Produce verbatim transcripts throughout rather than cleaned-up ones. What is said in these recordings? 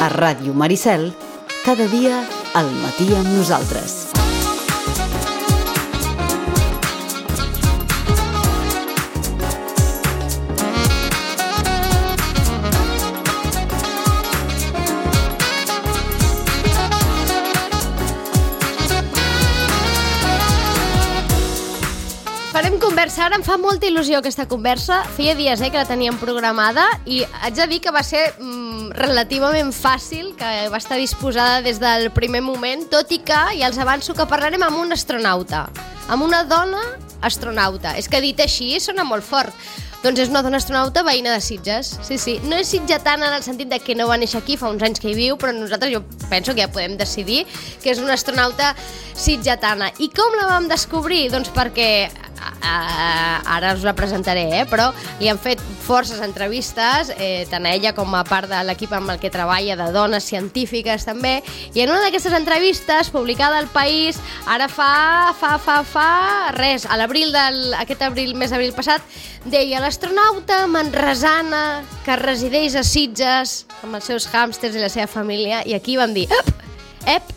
A Ràdio Maricel, cada dia al matí amb nosaltres. Farem conversa, ara em fa molta il·lusió aquesta conversa. Feia dies eh, que la teníem programada i haig de dir que va ser mm, relativament fàcil, que va estar disposada des del primer moment, tot i que ja els avanço que parlarem amb un astronauta, amb una dona astronauta. És que dit així sona molt fort. Doncs és una dona astronauta veïna de Sitges. Sí, sí. No és sitgetana en el sentit de que no va néixer aquí, fa uns anys que hi viu, però nosaltres jo penso que ja podem decidir que és una astronauta sitgetana. I com la vam descobrir? Doncs perquè Uh, ara us la presentaré, eh? Però li han fet forces entrevistes, eh, tant a ella com a part de l'equip amb el que treballa, de dones científiques també, i en una d'aquestes entrevistes, publicada al País, ara fa, fa, fa, fa, res, a l'abril del, aquest abril, mes d'abril passat, deia l'astronauta manresana que resideix a Sitges amb els seus hàmsters i la seva família, i aquí vam dir, ep, ep,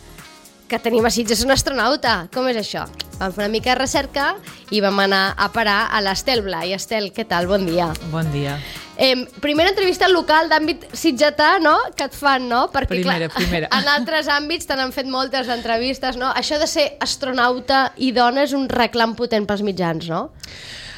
que tenim a Sitges un astronauta, com és això? Vam fer una mica de recerca i vam anar a parar a l'Estel Blai. Estel, què tal? Bon dia. Bon dia. Eh, primera entrevista local d'àmbit sitgetà, no?, que et fan, no? Perquè, primera, clar, primera. En altres àmbits te n'han fet moltes entrevistes, no? Això de ser astronauta i dona és un reclam potent pels mitjans, no?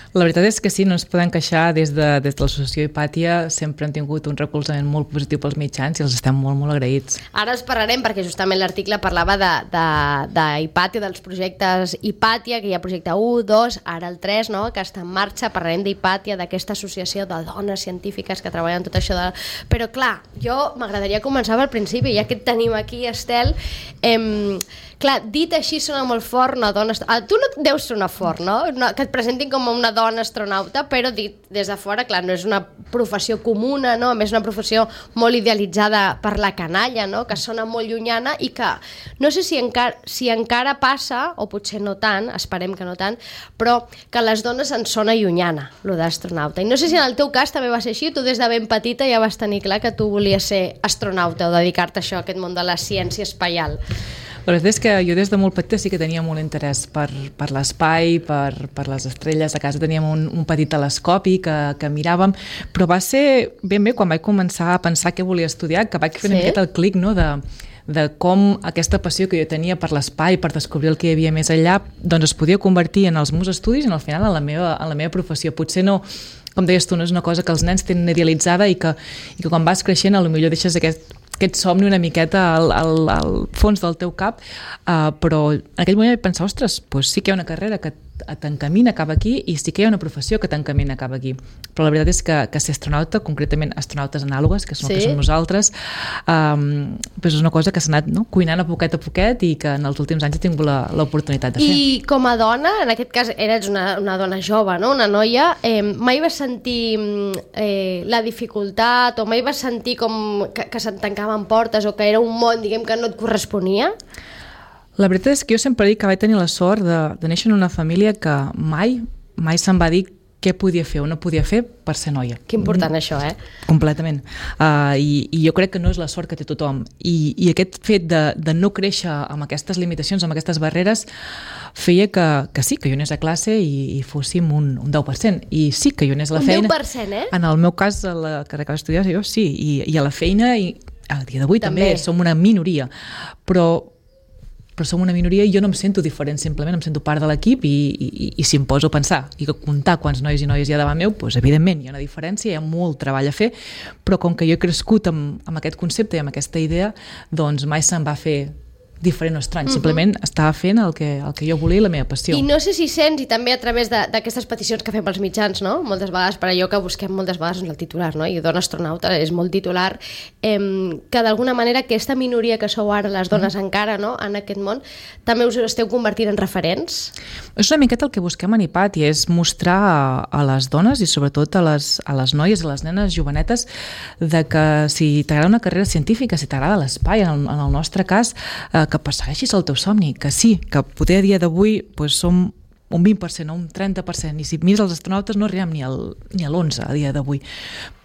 La veritat és que sí, no ens podem queixar. Des de, des de l'associació Hipàtia sempre han tingut un recolzament molt positiu pels mitjans i els estem molt, molt agraïts. Ara els parlarem perquè justament l'article parlava de, de, de Hipàtia, dels projectes Hipàtia, que hi ha projecte u, dos, ara el tres, no?, que està en marxa. Parlarem d'Hipàtia, d'aquesta associació de dones científiques que treballen tot això. De... Però clar, jo m'agradaria començar pel principi, ja que et tenim aquí, Estel. Eh, clar, dit així sona molt fort una dona... Ah, tu no deus sonar fort, no? no? Que et presentin com una dona astronauta, però dit des de fora, clar, no és una professió comuna, no? A més, una professió molt idealitzada per la canalla, no?, que sona molt llunyana i que no sé si encara, si encara passa, o potser no tant, esperem que no tant, però que a les dones ens sona llunyana, lo d'astronauta. I no sé si en el teu cas també va ser així, tu des de ben petita ja vas tenir clar que tu volies ser astronauta o dedicar-te a això, a aquest món de la ciència espaial. La veritat és que jo des de molt petita sí que tenia molt interès per, per l'espai, per, per les estrelles. A casa teníem un, un petit telescopi que, que miràvem, però va ser ben bé quan vaig començar a pensar què volia estudiar, que vaig fer una sí? miqueta el clic, no?, de, de com aquesta passió que jo tenia per l'espai, per descobrir el que hi havia més enllà, doncs es podia convertir en els meus estudis i al final en la meva, en la meva professió. Potser no, com deies tu, no és una cosa que els nens tenen idealitzada i que, i que quan vas creixent potser deixes aquest aquest somni una miqueta al, al, al fons del teu cap, uh, però en aquell moment vaig pensar, ostres, doncs sí que hi ha una carrera que t'encamina cap aquí i sí que hi ha una professió que t'encamina cap aquí. Però la veritat és que, que ser astronauta, concretament astronautes anàlogues, que són sí? el que som nosaltres, um, doncs és una cosa que s'ha anat no? cuinant a poquet a poquet i que en els últims anys he tingut l'oportunitat de fer. I com a dona, en aquest cas eres una, una dona jove, no? Una noia, eh, mai vas sentir eh, la dificultat o mai vas sentir com que, que se't tancaven portes o que era un món, diguem, que no et corresponia? La veritat és que jo sempre dic que vaig tenir la sort de, de néixer en una família que mai, mai se'm va dir què podia fer o no podia fer per ser noia. Que important mm. això, eh? Completament. Uh, i, I jo crec que no és la sort que té tothom. I, i aquest fet de, de no créixer amb aquestes limitacions, amb aquestes barreres, feia que, que sí, que jo anés a classe i, i fóssim un, un deu per cent. I sí que jo anés a la un feina... Un deu per cent, eh? En el meu cas, a la carrera que vaig estudiar, jo sí. I, i a la feina, i a dia d'avui també. també som una minoria. Però... però som una minoria i jo no em sento diferent, simplement em sento part de l'equip i, i, i si em poso a pensar i que comptar quants nois i noies hi ha davant meu, doncs evidentment hi ha una diferència, hi ha molt treball a fer, però com que jo he crescut amb, amb aquest concepte i amb aquesta idea, doncs mai se'm va fer diferent o estrany, uh-huh. simplement estava fent el que, el que jo volia i la meva passió. I no sé si sents, i també a través d'aquestes peticions que fem pels mitjans, no? Moltes vegades, per allò que busquem moltes vegades el titular, no? I dona astronauta és molt titular, eh, que d'alguna manera aquesta minoria que sou ara les dones uh-huh. encara, no? En aquest món, també us esteu convertint en referents? És una miqueta el que busquem en Hipàtia, és mostrar a, a les dones i sobretot a les, a les noies, a les nenes jovenetes, de que si t'agrada una carrera científica, si t'agrada l'espai, en, en el nostre cas, eh, que persegueixis el teu somni, que sí, que potser a dia d'avui doncs, som un vint per cent o un trenta per cent, i si mires els astronautes no arribem ni, al, ni a l'onze a dia d'avui.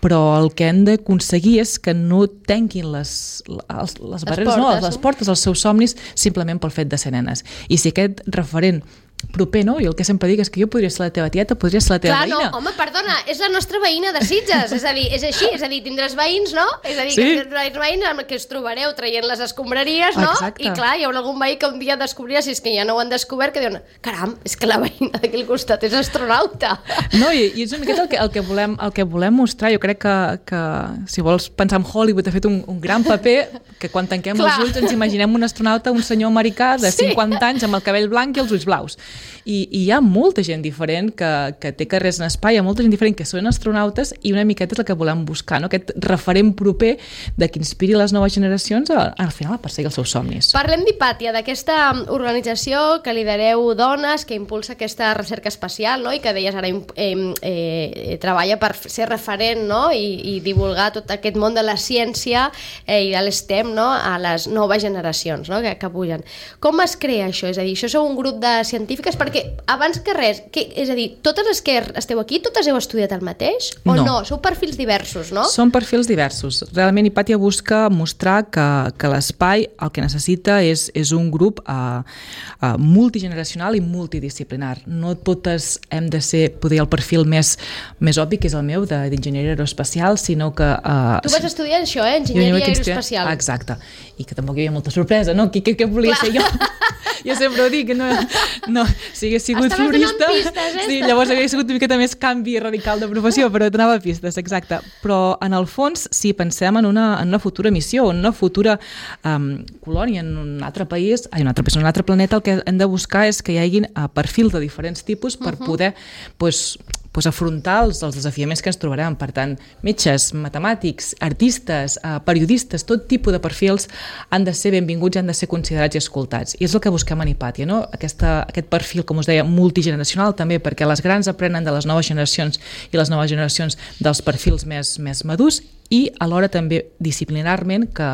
Però el que hem d'aconseguir és que no tanquin les, les, les barreres, portes, no, les portes als seus somnis simplement pel fet de ser nenes. I si aquest referent proper, no? I el que sempre dic és que jo podria ser la teva tieta, podria ser la teva Clar, veïna. No, home, perdona, és la nostra veïna de Sitges, és a dir, és així, és a dir, tindràs veïns, no? És a dir, sí. que tindràs veïns amb que us trobareu traient les escombraries, no? Exacte. I clar, hi haurà algun veí que un dia descobrirà, si és que ja no ho han descobert, que diuen, caram, és que la veïna d'aquí al costat és astronauta. No, i, i és una miqueta el que, el que, volem, el que volem mostrar. Jo crec que, que si vols pensar en Hollywood, ha fet un, un gran paper, que quan tanquem clar. els ulls ens imaginem un astronauta, un senyor americà de cinquanta sí. anys amb el cabell blanc i els ulls blaus. I, i hi ha molta gent diferent que, que té carrers en espai, hi ha molta gent diferent que són astronautes, i una miqueta és el que volem buscar, no? Aquest referent proper de que inspiri les noves generacions a, al final a perseguir els seus somnis. Parlem d'Hipàtia, d'aquesta organització que lidereu dones, que impulsa aquesta recerca espacial, no? I que deies ara eh, eh, treballa per ser referent, no? I, i divulgar tot aquest món de la ciència eh, i de l'STEM, no? A les noves generacions, no? que, que pugen. Com es crea això? És a dir, això sou un grup de científiques? Perquè abans que res, que, és a dir, totes les que esteu aquí, totes heu estudiat el mateix? O no? no? Sou perfils diversos, no? Són perfils diversos. Realment Hipàtia busca mostrar que, que l'espai el que necessita és, és un grup uh, uh, multigeneracional i multidisciplinar. No totes hem de ser, poder, el perfil més, més obvi, que és el meu, d'enginyeria aeroespacial, sinó que... Uh, tu vas estudiar això, eh? Enginyeria aeroespacial. Exacte. I que tampoc hi havia molta sorpresa, no? Què, què, què volia Clar. ser jo? Jo sempre ho dic, no, no, si hagués sigut Estaves florista, pistes, eh? sí, llavors hauria sigut una miqueta més canvi radical de professió, però donava pistes, exacte. Però en el fons, si pensem en una, en una futura missió, en una futura um, colònia en un altre país, en un altre país, en un altre planeta, el que hem de buscar és que hi hagin uh, perfils de diferents tipus per uh-huh. poder pues, pues, afrontar els, els desafiaments que ens trobarem. Per tant, metges, matemàtics, artistes, uh, periodistes, tot tipus de perfils han de ser benvinguts i han de ser considerats i escoltats. I és el que busquem en Hipàtia, no? Aquesta, aquest perfil, com us deia, multigeneracional també, perquè les grans aprenen de les noves generacions i les noves generacions dels perfils més, més madurs, i alhora també disciplinarment que,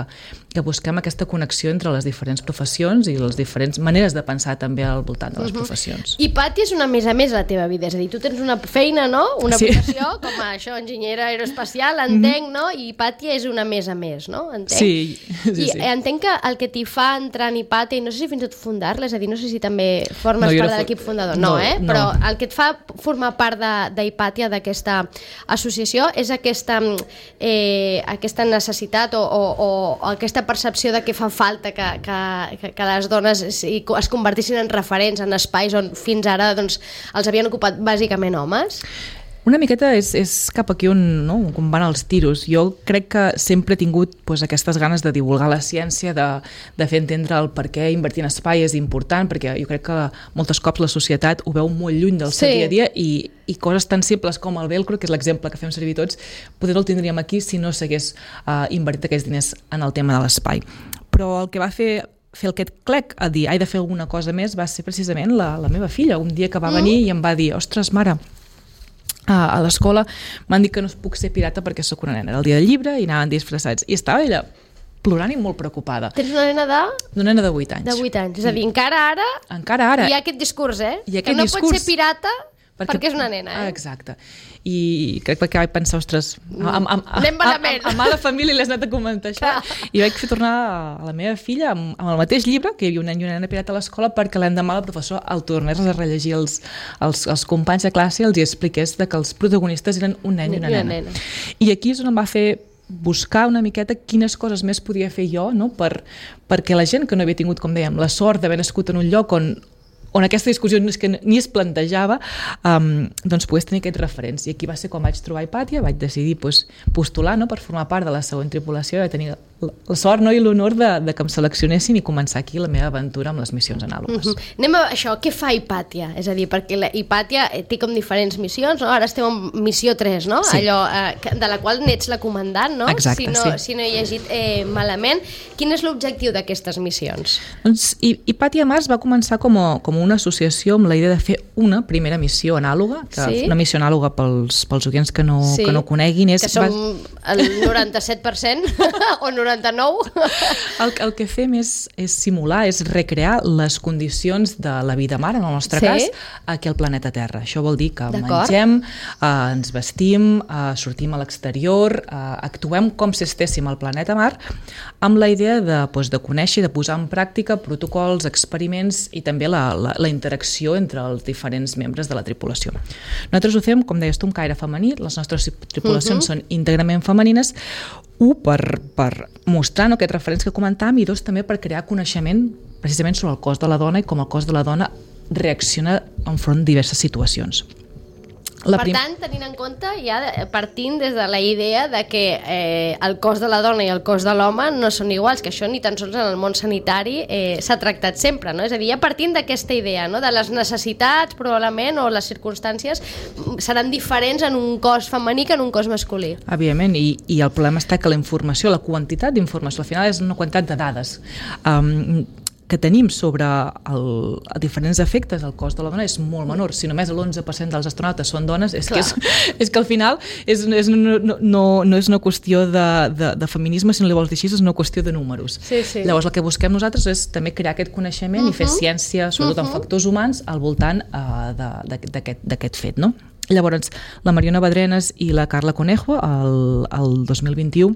que busquem aquesta connexió entre les diferents professions i les diferents maneres de pensar també al voltant de les uh-huh. professions. Hipàtia és una més a més a la teva vida, és a dir, tu tens una feina, no? Una sí. professió, com a això, enginyera aeroespacial, entenc, mm-hmm. no? I Hipàtia és una més a més, no? Entenc? Sí, sí, I sí. entenc que el que t'hi fa entrar en Hipàtia, i no sé si fins i tot fundar-la, és a dir, no sé si també formes no, part de l'equip fundador, no, no eh? No. Però el que et fa formar part d'Hipàtia, d'aquesta associació, és aquesta, eh, aquesta necessitat o, o, o aquesta percepció de que fa falta que, que, que les dones es, es convertissin en referents en espais on fins ara doncs, els havien ocupat bàsicament homes? Una miqueta és, és cap aquí on, no, on van els tiros. Jo crec que sempre he tingut pues, aquestes ganes de divulgar la ciència, de, de fer entendre el per què invertir en espai és important, perquè jo crec que moltes cops la societat ho veu molt lluny del seu sí. dia a dia i, i coses tan simples com el velcro, que és l'exemple que fem servir tots, potser el tindríem aquí si no s'hagués uh, invertit aquests diners en el tema de l'espai. Però el que va fer fer aquest clec a dir, he de fer alguna cosa més, va ser precisament la, la meva filla. Un dia que va venir mm. i em va dir, ostres, mare, a l'escola m'han dit que no puc ser pirata perquè sóc una nena. Era el dia del llibre i anaven disfressats. I estava ella plorant i molt preocupada. Tens una nena de? Una nena de vuit anys. De vuit anys. És a dir, encara ara, encara ara. hi ha aquest discurs, eh? Hi ha aquest que no discurs. pot ser pirata perquè, perquè és una nena, eh? Exacte. I crec que vaig pensar, ostres, amb, amb, amb, amb, a mala família li has anat a comentar això. I vaig fer tornar a la meva filla amb, amb el mateix llibre, que hi havia un nen i una nena pirata a l'escola, perquè l'endemà el professor el tornés a rellegir els, els, els companys de classe i els hi expliqués que els protagonistes eren un nen i una nena. nena. I aquí és on em va fer buscar una miqueta quines coses més podia fer jo, no? per, perquè la gent que no havia tingut, com dèiem, la sort d'haver nascut en un lloc on on aquesta discussió no és que ni es plantejava, um, doncs pogués tenir aquests referents. I aquí va ser quan vaig trobar Hipàtia, vaig decidir pues, postular, no?, per formar part de la següent tripulació, i tenir la, la sort, no?, i l'honor de, de que em seleccionessin i començar aquí la meva aventura amb les missions anàlogues. Mm-hmm. Anem a això, què fa Hipàtia? És a dir, perquè la Hipàtia té com diferents missions, no? Ara esteu en missió tres, no? Sí. Allò eh, de la qual n'ets la comandant, no? Exacte, si no, sí. Si no he llegit eh, malament. Quin és l'objectiu d'aquestes missions? Doncs Hipàtia Mars va començar com a, com una associació amb la idea de fer una primera missió anàloga, que sí? Una missió anàloga pels, pels oients que no, sí. que no coneguin. És, que som el noranta-set per cent o noranta noranta-nou. El, el que fem és, és simular, és recrear les condicions de la vida mar, en el nostre sí. cas, aquí al planeta Terra. Això vol dir que D'acord. mengem, eh, ens vestim, eh, sortim a l'exterior, eh, actuem com si estéssim al planeta mar, amb la idea de, doncs, de conèixer i de posar en pràctica protocols, experiments i també la, la, la interacció entre els diferents membres de la tripulació. Nosaltres ho fem, com deies tu, un caire femení, les nostres tripulacions uh-huh. són íntegrament femenines, un, per, per mostrar no, aquests referents que comentàvem, i dos, també per crear coneixement precisament sobre el cos de la dona i com el cos de la dona reacciona enfront de diverses situacions. La per prim... tant, tenint en compte, ja partint des de la idea de que eh, el cos de la dona i el cos de l'home no són iguals, que això ni tan sols en el món sanitari eh, s'ha tractat sempre, no? És a dir, ja partint d'aquesta idea, no? De les necessitats, probablement, o les circumstàncies seran diferents en un cos femení que en un cos masculí. Evidentment, i, i el problema està que la informació, la quantitat d'informació, al final és una quantitat de dades. Um, que tenim sobre el, els diferents efectes al cos de la dona és molt menor. Si només l'onze per cent dels astronautes són dones, és, que, és, és que al final és, és, no, no, no és una qüestió de, de, de feminisme, si no li vols dir així, és una qüestió de números. Sí, sí. Llavors el que busquem nosaltres és també crear aquest coneixement uh-huh. i fer ciència, sobretot uh-huh. en factors humans, al voltant uh, d'aquest fet, no? Llavors, la Mariona Badrenes i la Carla Conejo, el, el dos mil vint-i-u,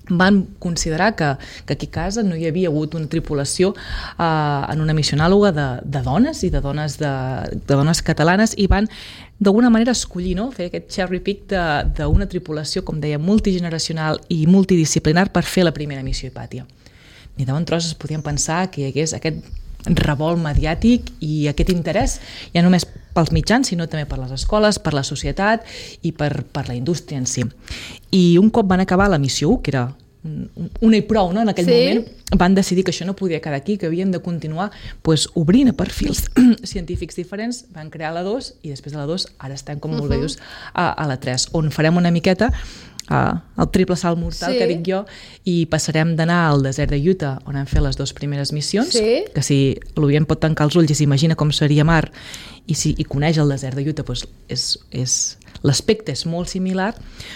van considerar que, que aquí a casa no hi havia hagut una tripulació eh, en una missió anàloga de, de dones i de dones, de, de dones catalanes, i van d'alguna manera escollir, no? Fer aquest cherry pick d'una tripulació, com deia, multigeneracional i multidisciplinar per fer la primera missió Hipàtia. Ni de bon tros es podien pensar que hi hagués aquest revolt mediàtic i aquest interès, ja només pels mitjans, sinó també per les escoles, per la societat i per, per la indústria en si. I un cop van acabar la missió u, que era una i prou, no? En aquell sí. moment, van decidir que això no podia quedar aquí, que havien de continuar pues, obrint a perfils científics diferents, van crear la dos, i després de la dos ara estem, com molt uh-huh. bé dius, a, a la tres, on farem una miqueta Uh, el triple salt mortal sí. que dic jo, i passarem d'anar al desert de Utah, on hem fet les dues primeres missions, sí. que si l'Orient pot tancar els ulls i s'imagina com seria mar, i si i coneix el desert de Utah, doncs és, és, l'aspecte és molt similar,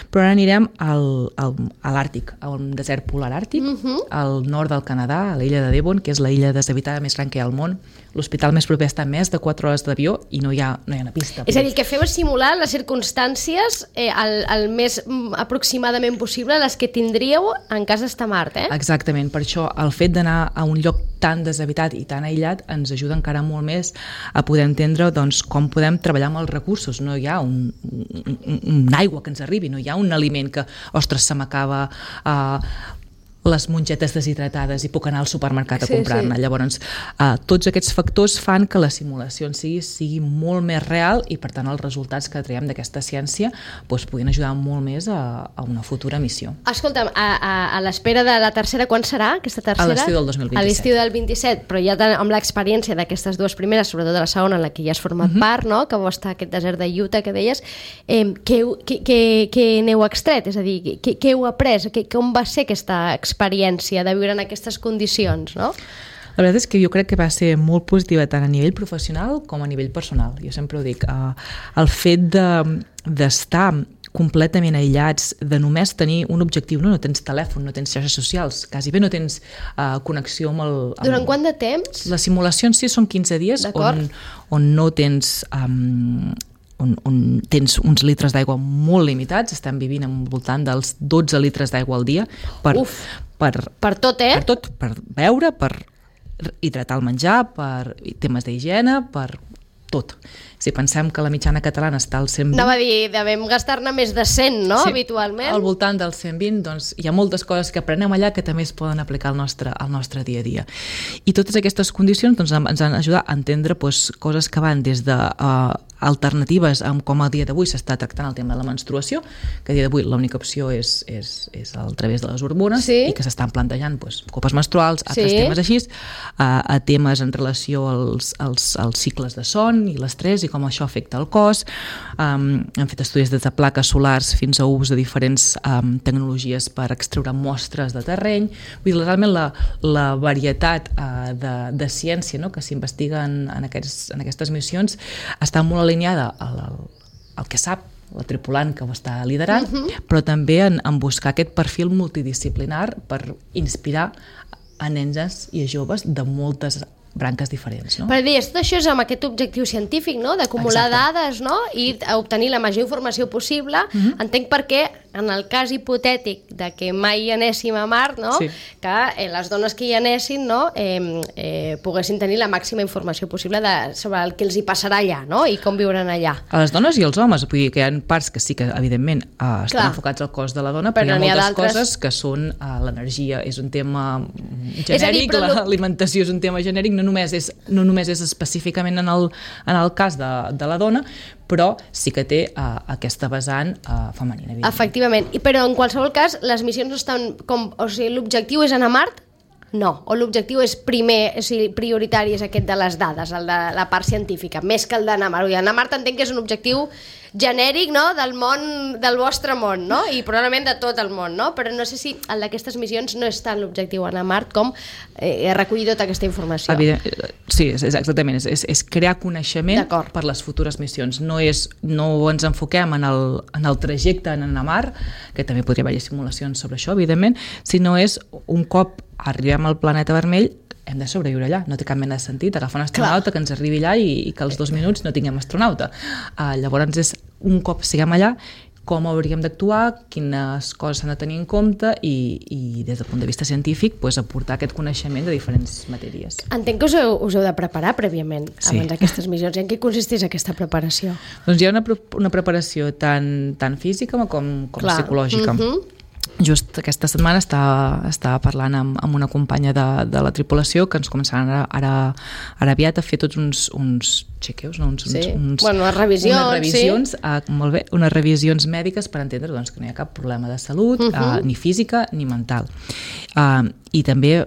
però ara anirem al, al, a l'Àrtic, al desert polar àrtic, uh-huh. al nord del Canadà, a l'illa de Devon, que és la illa deshabitada més gran que hi ha al món. L'hospital més proper està a més de quatre hores d'avió i no hi ha, no hi ha una pista. És a dir, que feu és simular les circumstàncies eh, el, el més aproximadament possible les que tindríeu en cas d'estar a Mart, eh? Exactament, per això el fet d'anar a un lloc tan deshabitat i tan aïllat ens ajuda encara molt més a poder entendre doncs, com podem treballar amb els recursos. No hi ha un, un, un aigua que ens arribi, no hi ha un aliment que, ostres, se m'acaba uh, les mongetes deshidratades i puc anar al supermercat a sí, comprar-ne. Sí. Llavors, uh, tots aquests factors fan que la simulació en si sigui molt més real i, per tant, els resultats que traiem d'aquesta ciència doncs, puguin ajudar molt més a, a una futura missió. Escolta'm, a, a, a l'espera de la tercera, quan serà aquesta tercera? A l'estiu del dos mil vint-i-set. A l'estiu del vint-i-set, però ja amb l'experiència d'aquestes dues primeres, sobretot de la segona, en la que ja has format uh-huh. part, no? Que vau estar aquest desert de Utah que deies, eh, què, què, què, què n'heu extret? És a dir, què, què heu après? Què, com va ser aquesta experiència experiència de viure en aquestes condicions, no? La veritat és que jo crec que va ser molt positiva tant a nivell professional com a nivell personal. Jo sempre ho dic, uh, el fet de, d'estar completament aïllats, de només tenir un objectiu, no, no tens telèfon, no tens xarxes socials, quasi bé no tens uh, connexió amb el... Amb... Durant quant de temps? La simulació en si són quinze dies on, on no tens... Um, On, on tens uns litres d'aigua molt limitats, estem vivint al voltant dels dotze litres d'aigua al dia per, Uf, per, per tot, eh? Per tot, per beure, per hidratar el menjar, per temes d'higiene, per tot. Si pensem que la mitjana catalana està al cent vint... Anava a dir, devem gastar-ne més de cent, no?, sí, habitualment. Al voltant del cent vint, doncs hi ha moltes coses que aprenem allà que també es poden aplicar al nostre, al nostre dia a dia. I totes aquestes condicions doncs, ens han ajudat a entendre doncs, coses que van des de uh, alternatives amb com a dia d'avui s'està tractant el tema de la menstruació, que a dia d'avui l'única opció és, és, és a través de les hormones, sí, i que s'estan plantejant doncs, copes menstruals, altres sí, temes així, uh, a temes en relació als, als, als cicles de son i l'estrès i com això afecta el cos. Um, hem fet estudis des de plaques solars fins a ús de diferents um, tecnologies per extreure mostres de terreny. Vull dir, realment la, la varietat uh, de, de ciència, no?, que s'investiga en, en, aquests, en aquestes missions està molt alineada al, al, al que sap la tripulant que ho està liderant, Uh-huh. però també en, en buscar aquest perfil multidisciplinar per inspirar a nens i a joves de moltes branques diferents, no? Per dir, tot això és amb aquest objectiu científic, no? D'acumular Exacte. dades, no? I a obtenir la major informació possible. Mhm. Entenc per què, en el cas hipotètic de que mai hi anéssim a Mart, no? Sí. Que eh, les dones que hi anessin, no? Eh, eh, poguessin tenir la màxima informació possible de, sobre el que els hi passarà allà, no? I com viuran allà. A les dones i als homes, vull dir que hi ha parts que sí que, evidentment, eh, estan Clar. enfocats al cos de la dona, però, Però hi n'hi ha ha moltes d'altres- coses que són eh, l'energia, és un tema És a dir, genèric, però lo- l'alimentació és un tema genèric, no només és, no només és específicament en el, en el cas de, de la dona, però sí que té uh, aquesta vessant uh, femenina. evidentment. Efectivament. I, però en qualsevol cas, les missions no estan com... O sigui, l'objectiu és anar a Mart? No. O l'objectiu és primer, o sigui, prioritari és aquest de les dades, el de la part científica, més que el d'anar a Mart. Anar a Mart entenc que és un objectiu genèric, no?, del món, del vostre món, no?, i probablement de tot el món, no?, però no sé si el d'aquestes missions no és tant l'objectiu anar a Mart com eh, recollir tota aquesta informació. Evident, sí, és, és exactament, és, és, és crear coneixement D'acord. per les futures missions. No, és, no ens enfoquem en el, en el trajecte en anar a Mart, que també podria haver simulacions sobre això, evidentment, sinó és un cop arribem al planeta vermell, hem de sobreviure allà, no té cap mena de sentit agafar un astronauta Clar. que ens arribi allà i, i que als dos minuts no tinguem astronauta. Uh, llavors és un cop siguem allà, com hauríem d'actuar, quines coses s'han de tenir en compte i, i des del punt de vista científic pues, aportar aquest coneixement de diferents matèries. Entenc que us heu, us heu de preparar prèviament Sí. abans d'aquestes missions. I en què consisteix aquesta preparació? Doncs hi ha una, pre- una preparació tant, tant física com, com Clar. psicològica. Mhm. Just aquesta setmana estava, estava parlant amb, amb una companya de, de la tripulació que ens començaran ara, ara, ara aviat a fer tots uns, uns chequeus, no? uns, Sí. uns, Bueno, unes revisions, unes revisions, eh, molt bé, unes revisions mèdiques per entendre doncs, que no hi ha cap problema de salut, Mhm. eh, ni física ni mental. Eh, I també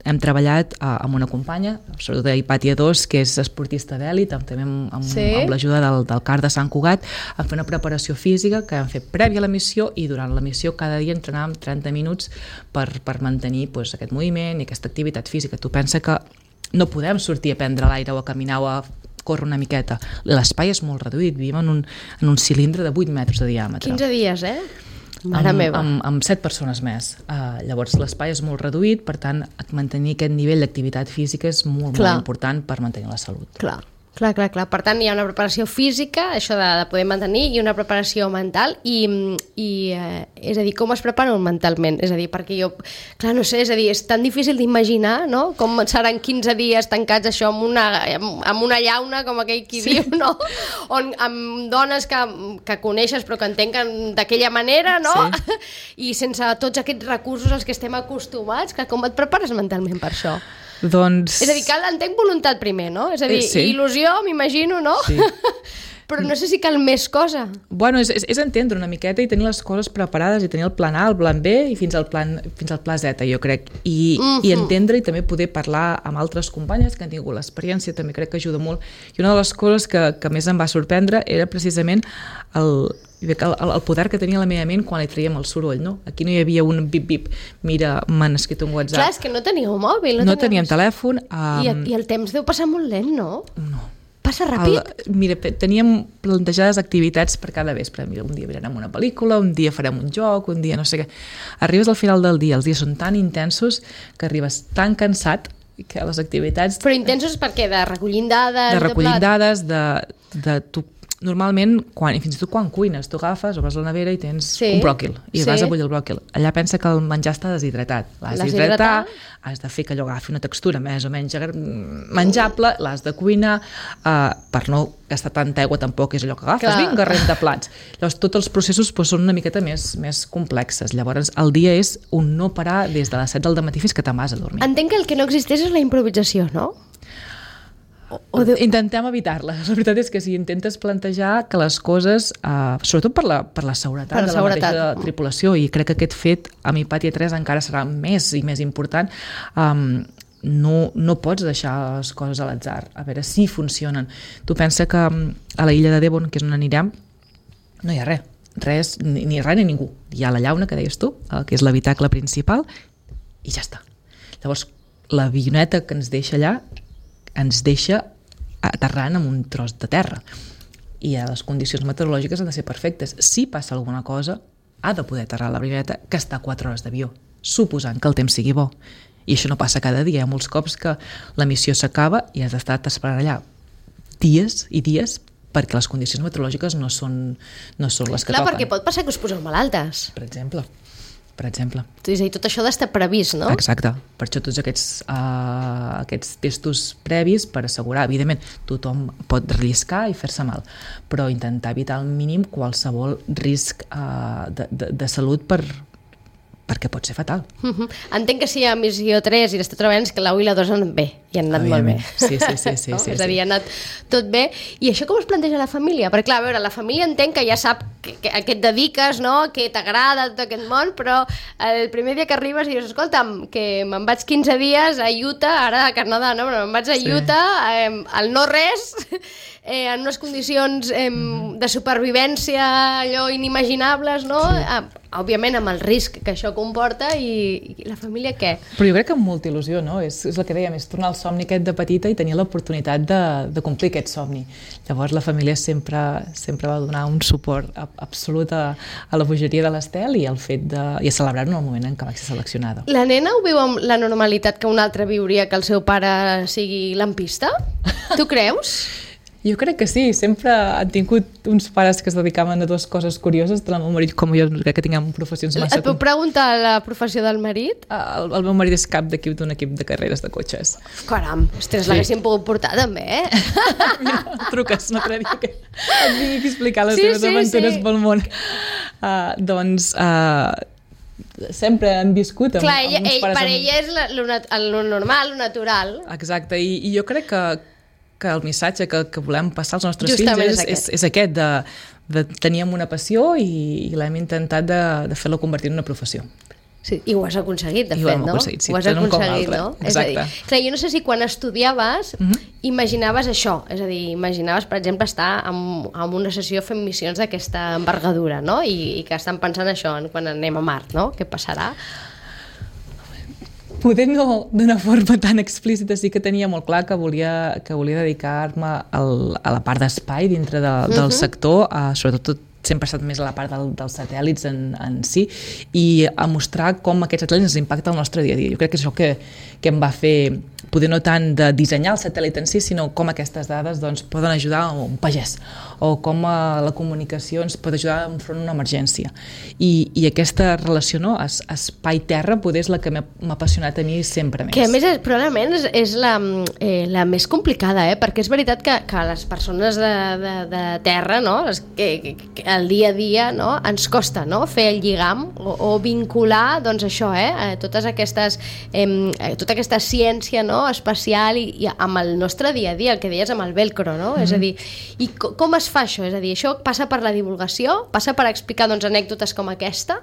hem treballat uh, amb una companya, sobretot d'Hipàtia dos, que és esportista d'èlit, també amb, amb, Sí. amb l'ajuda del, del C A R de Sant Cugat, a fer una preparació física que hem fet prèvia a la missió i durant la missió cada dia entrenàvem trenta minuts per, per mantenir pues, aquest moviment i aquesta activitat física. Tu pensa que no podem sortir a prendre l'aire o a caminar o a córrer una miqueta. L'espai és molt reduït, vivim en un, en un cilindre de vuit metres de diàmetre. quinze dies, eh? Mare amb, meva. amb, amb set persones més. Uh, llavors l'espai és molt reduït, per tant mantenir aquest nivell d'activitat física és molt, Clar. molt important per mantenir la salut. Clar. Clar, clar, clar. Per tant, hi ha una preparació física, això de, de poder mantenir, i una preparació mental, i, i eh, és a dir, com es preparen mentalment? És a dir, perquè jo, clar, no sé, és a dir, és tan difícil d'imaginar, no?, com seran quinze dies tancats això amb una, amb una llauna, com aquell qui sí. diu, no?, on, amb dones que, que coneixes però que entenquen d'aquella manera, no?, sí. i sense tots aquests recursos als que estem acostumats, que com et prepares mentalment per això? Doncs... És a dir, cal, entenc voluntat primer, no? És a dir, Sí. il·lusió, m'imagino, no? Sí. Però no sé si cal més cosa. Bueno, és, és, és entendre una miqueta i tenir les coses preparades i tenir el plan A, el plan B i fins al plan, fins al pla Z, jo crec. I, Mhm. i entendre i també poder parlar amb altres companyes que han tingut l'experiència, també crec que ajuda molt. I una de les coses que, que més em va sorprendre era precisament el, el, el poder que tenia la meva ment quan li traiem el soroll, no? Aquí no hi havia un bip-bip, mira, m'han escrit un WhatsApp. Clar, és que no teníeu mòbil. No, No teníem telèfon. I, Um, I el temps deu passar molt lent, no? no. Passa ràpid? El, mira, pe- teníem plantejades activitats per cada vespre. Mira, un dia mirarem una pel·lícula, un dia farem un joc, un dia no sé què. Arribes al final del dia, els dies són tan intensos que arribes tan cansat que les activitats... Però intensos per què? De recollint dades? de recollir plat? dades, de, de tu, normalment, quan, i fins i tot quan cuines, tu agafes, obres la nevera i tens Sí, un bròquil, i sí. vas a bullir el bròquil. Allà pensa que el menjar està deshidratat. L'has L'has d'hidratar, d'hidratar. has de fer que allò agafi una textura més o menys agra- menjable, l'has de cuinar, uh, per no gastar tanta aigua tampoc és allò que agafes, Clar. vinga, renta plats. Llavors, tots els processos pues, són una miqueta més, més complexes. Llavors, el dia és un no parar des de les set del matí fins que te'n vas a dormir. Entenc que el que no existeix és la improvisació, no? O, o de... Intentem evitar-la. La veritat és que si intentes plantejar que les coses, eh, sobretot per la, per la seguretat Per la de la seguretat. mateixa tripulació, i crec que aquest fet amb Hipàtia tres encara serà més i més important, um, no, no pots deixar les coses a l'atzar, a veure si funcionen. Tu pensa que um, a la illa de Devon, que és on anirem, no hi ha res, res ni, ni res ni ningú. Hi ha la llauna, que deies tu, eh, que és l'habitacle principal, i ja està. Llavors, l'avioneta que ens deixa allà ens deixa aterrant amb un tros de terra. i les condicions meteorològiques han de ser perfectes. Si passa alguna cosa, ha de poder aterrar la brigadeta que està a quatre hores d'avió, suposant que el temps sigui bo. I això no passa cada dia. Hi ha molts cops que la missió s'acaba i has estat esperant allà dies i dies perquè les condicions meteorològiques no són, no són les que Clar, toquen. perquè pot passar que us poseu malaltes. Per exemple. Per exemple. És a dir, tot això ha d'estar previst, no? Exacte. Per això tots aquests, uh, aquests testos previs per assegurar, evidentment, tothom pot relliscar i fer-se mal, però intentar evitar al mínim qualsevol risc uh, de, de, de salut per, perquè pot ser fatal. Uh-huh. Entenc que si hi ha missió tres i l'esteu treballant és que la u i la dos han anat bé, i han anat molt bé. Sí, sí, sí. sí, no? sí És a dir, sí. ha anat tot bé. I això com es planteja la família? Perquè, clar, a veure, la família entenc que ja sap que, que, a què et dediques, no? Que t'agrada tot aquest món, però el primer dia que arribes dius, escolta'm, que me'n vaig quinze dies a Utah, ara a Canadà, no? Però me'n vaig a Utah, sí. eh, al no res, eh, en unes condicions eh, mm-hmm. de supervivència allò inimaginables, no? Sí. Eh, òbviament amb el risc que això comporta i, i la família què? Però jo crec que amb molta il·lusió, no? És, és el que dèiem, és tornar al somni aquest de petita i tenir l'oportunitat de, de complir aquest somni. Llavors la família sempre, sempre va donar un suport absolut a, a la bogeria de l'Estel i al fet de, i a celebrar-ho en el moment en què va ser seleccionada. La nena ho viu amb la normalitat que un altre viuria que el seu pare sigui lampista? Tu creus? Jo crec que sí, sempre han tingut uns pares que es dedicaven a dues coses curioses, tant el meu marit com jo, crec que tinguem professions massa... Et puc preguntar la professió del marit? El, el meu marit és cap d'equip d'un equip de carreres de cotxes. Caram, ostres, sí. L'haguéssim pogut portar també, eh? Mira, truques, no creia que et vingui a explicar les sí, seves sí, aventures sí. pel món. Uh, doncs... Uh, sempre han viscut amb, Clar, amb ella, uns ell, pares... per amb... ella és la, lo, nat lo normal, lo natural. Exacte, i, i jo crec que, que el missatge que, que volem passar als nostres Justament fills és, és, és aquest, de, de teníem una passió i, i l'hem intentat de, de fer-la convertir en una professió. Sí, i ho has aconseguit, de I fet, ho hem no? aconseguit, sí, ho has tant un com aconseguit, l'altre. no? Exacte. És a dir, clar, jo no sé si quan estudiaves uh-huh. imaginaves això, és a dir, imaginaves, per exemple, estar en, en una sessió fent missions d'aquesta envergadura, no? I, i que estan pensant això quan anem a Mart, no? Què passarà? Poder no d'una forma tan explícita, sí que tenia molt clar que volia, que volia dedicar-me al, a la part d'espai dintre de, uh-huh. del sector, uh, sobretot sempre ha estat més a la part del, dels satèl·lits en, en si, i a mostrar com aquests satèl·lits ens impacten el nostre dia a dia. Jo crec que és això que, que em va fer, poder no tant de dissenyar el satèl·lit en si, sinó com aquestes dades doncs, poden ajudar a un pagès, o com a la comunicació ens pot ajudar enfront d'una emergència. I, i aquesta relació, no, es, espai-terra, poder és la que m'ha apassionat a mi sempre més. Que a més, és, probablement, és, és la, eh, la més complicada, eh? Perquè és veritat que, que les persones de, de, de terra, no? Les, que, que, que el dia a dia, no? Ens costa, no? Fer el lligam o, o vincular, doncs això, eh? Totes aquestes, eh, tota aquesta ciència, no? Espacial i, i amb el nostre dia a dia, el que deies amb el velcro, no? Mm-hmm. És a dir, i co- com es fa això? És a dir, això passa per la divulgació? Passa per explicar, doncs, anècdotes com aquesta?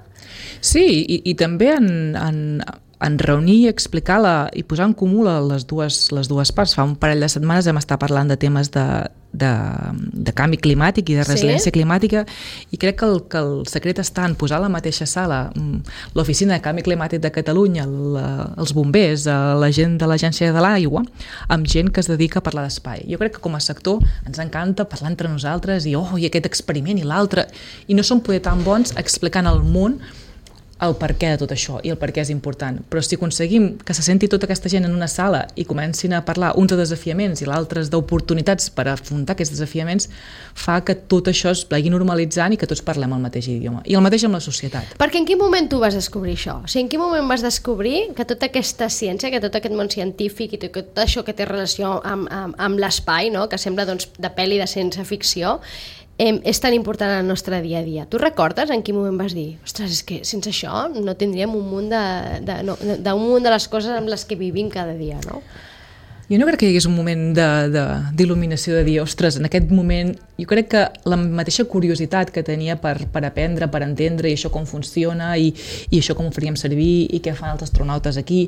Sí, i, i també en, en, en reunir i explicar-la i posar en comú les dues, les dues parts. Fa un parell de setmanes vam estar parlant de temes de, de, de canvi climàtic i de resiliència sí? climàtica, i crec que el, que el secret està en posar a la mateixa sala l'Oficina de Canvi Climàtic de Catalunya, la, els bombers, la gent de l'Agència de l'Aigua, amb gent que es dedica a parlar d'espai. Jo crec que com a sector ens encanta parlar entre nosaltres i, oh, i aquest experiment i l'altre, i no som poder tan bons explicant al món el per què de tot això i el per què és important. Però si aconseguim que se senti tota aquesta gent en una sala i comencin a parlar uns de desafiaments i l'altres d'oportunitats per afrontar aquests desafiaments, fa que tot això es vagi normalitzant i que tots parlem el mateix idioma. I el mateix amb la societat. Perquè en quin moment tu vas descobrir això? O sigui, en quin moment vas descobrir que tota aquesta ciència, que tot aquest món científic i tot això que té relació amb, amb, amb l'espai, no? Que sembla doncs, de pel·li de ciència ficció, Eh, és tan important en el nostre dia a dia. Tu recordes en quin moment vas dir, ostres, és que sense això no tindríem un munt de, de, no, d'un munt de les coses amb les que vivim cada dia, no? Jo no crec que hi hagués un moment d'il·luminació de, de dir, ostres, en aquest moment jo crec que la mateixa curiositat que tenia per, per aprendre, per entendre i això com funciona i, i això com ho faríem servir i què fan els astronautes aquí,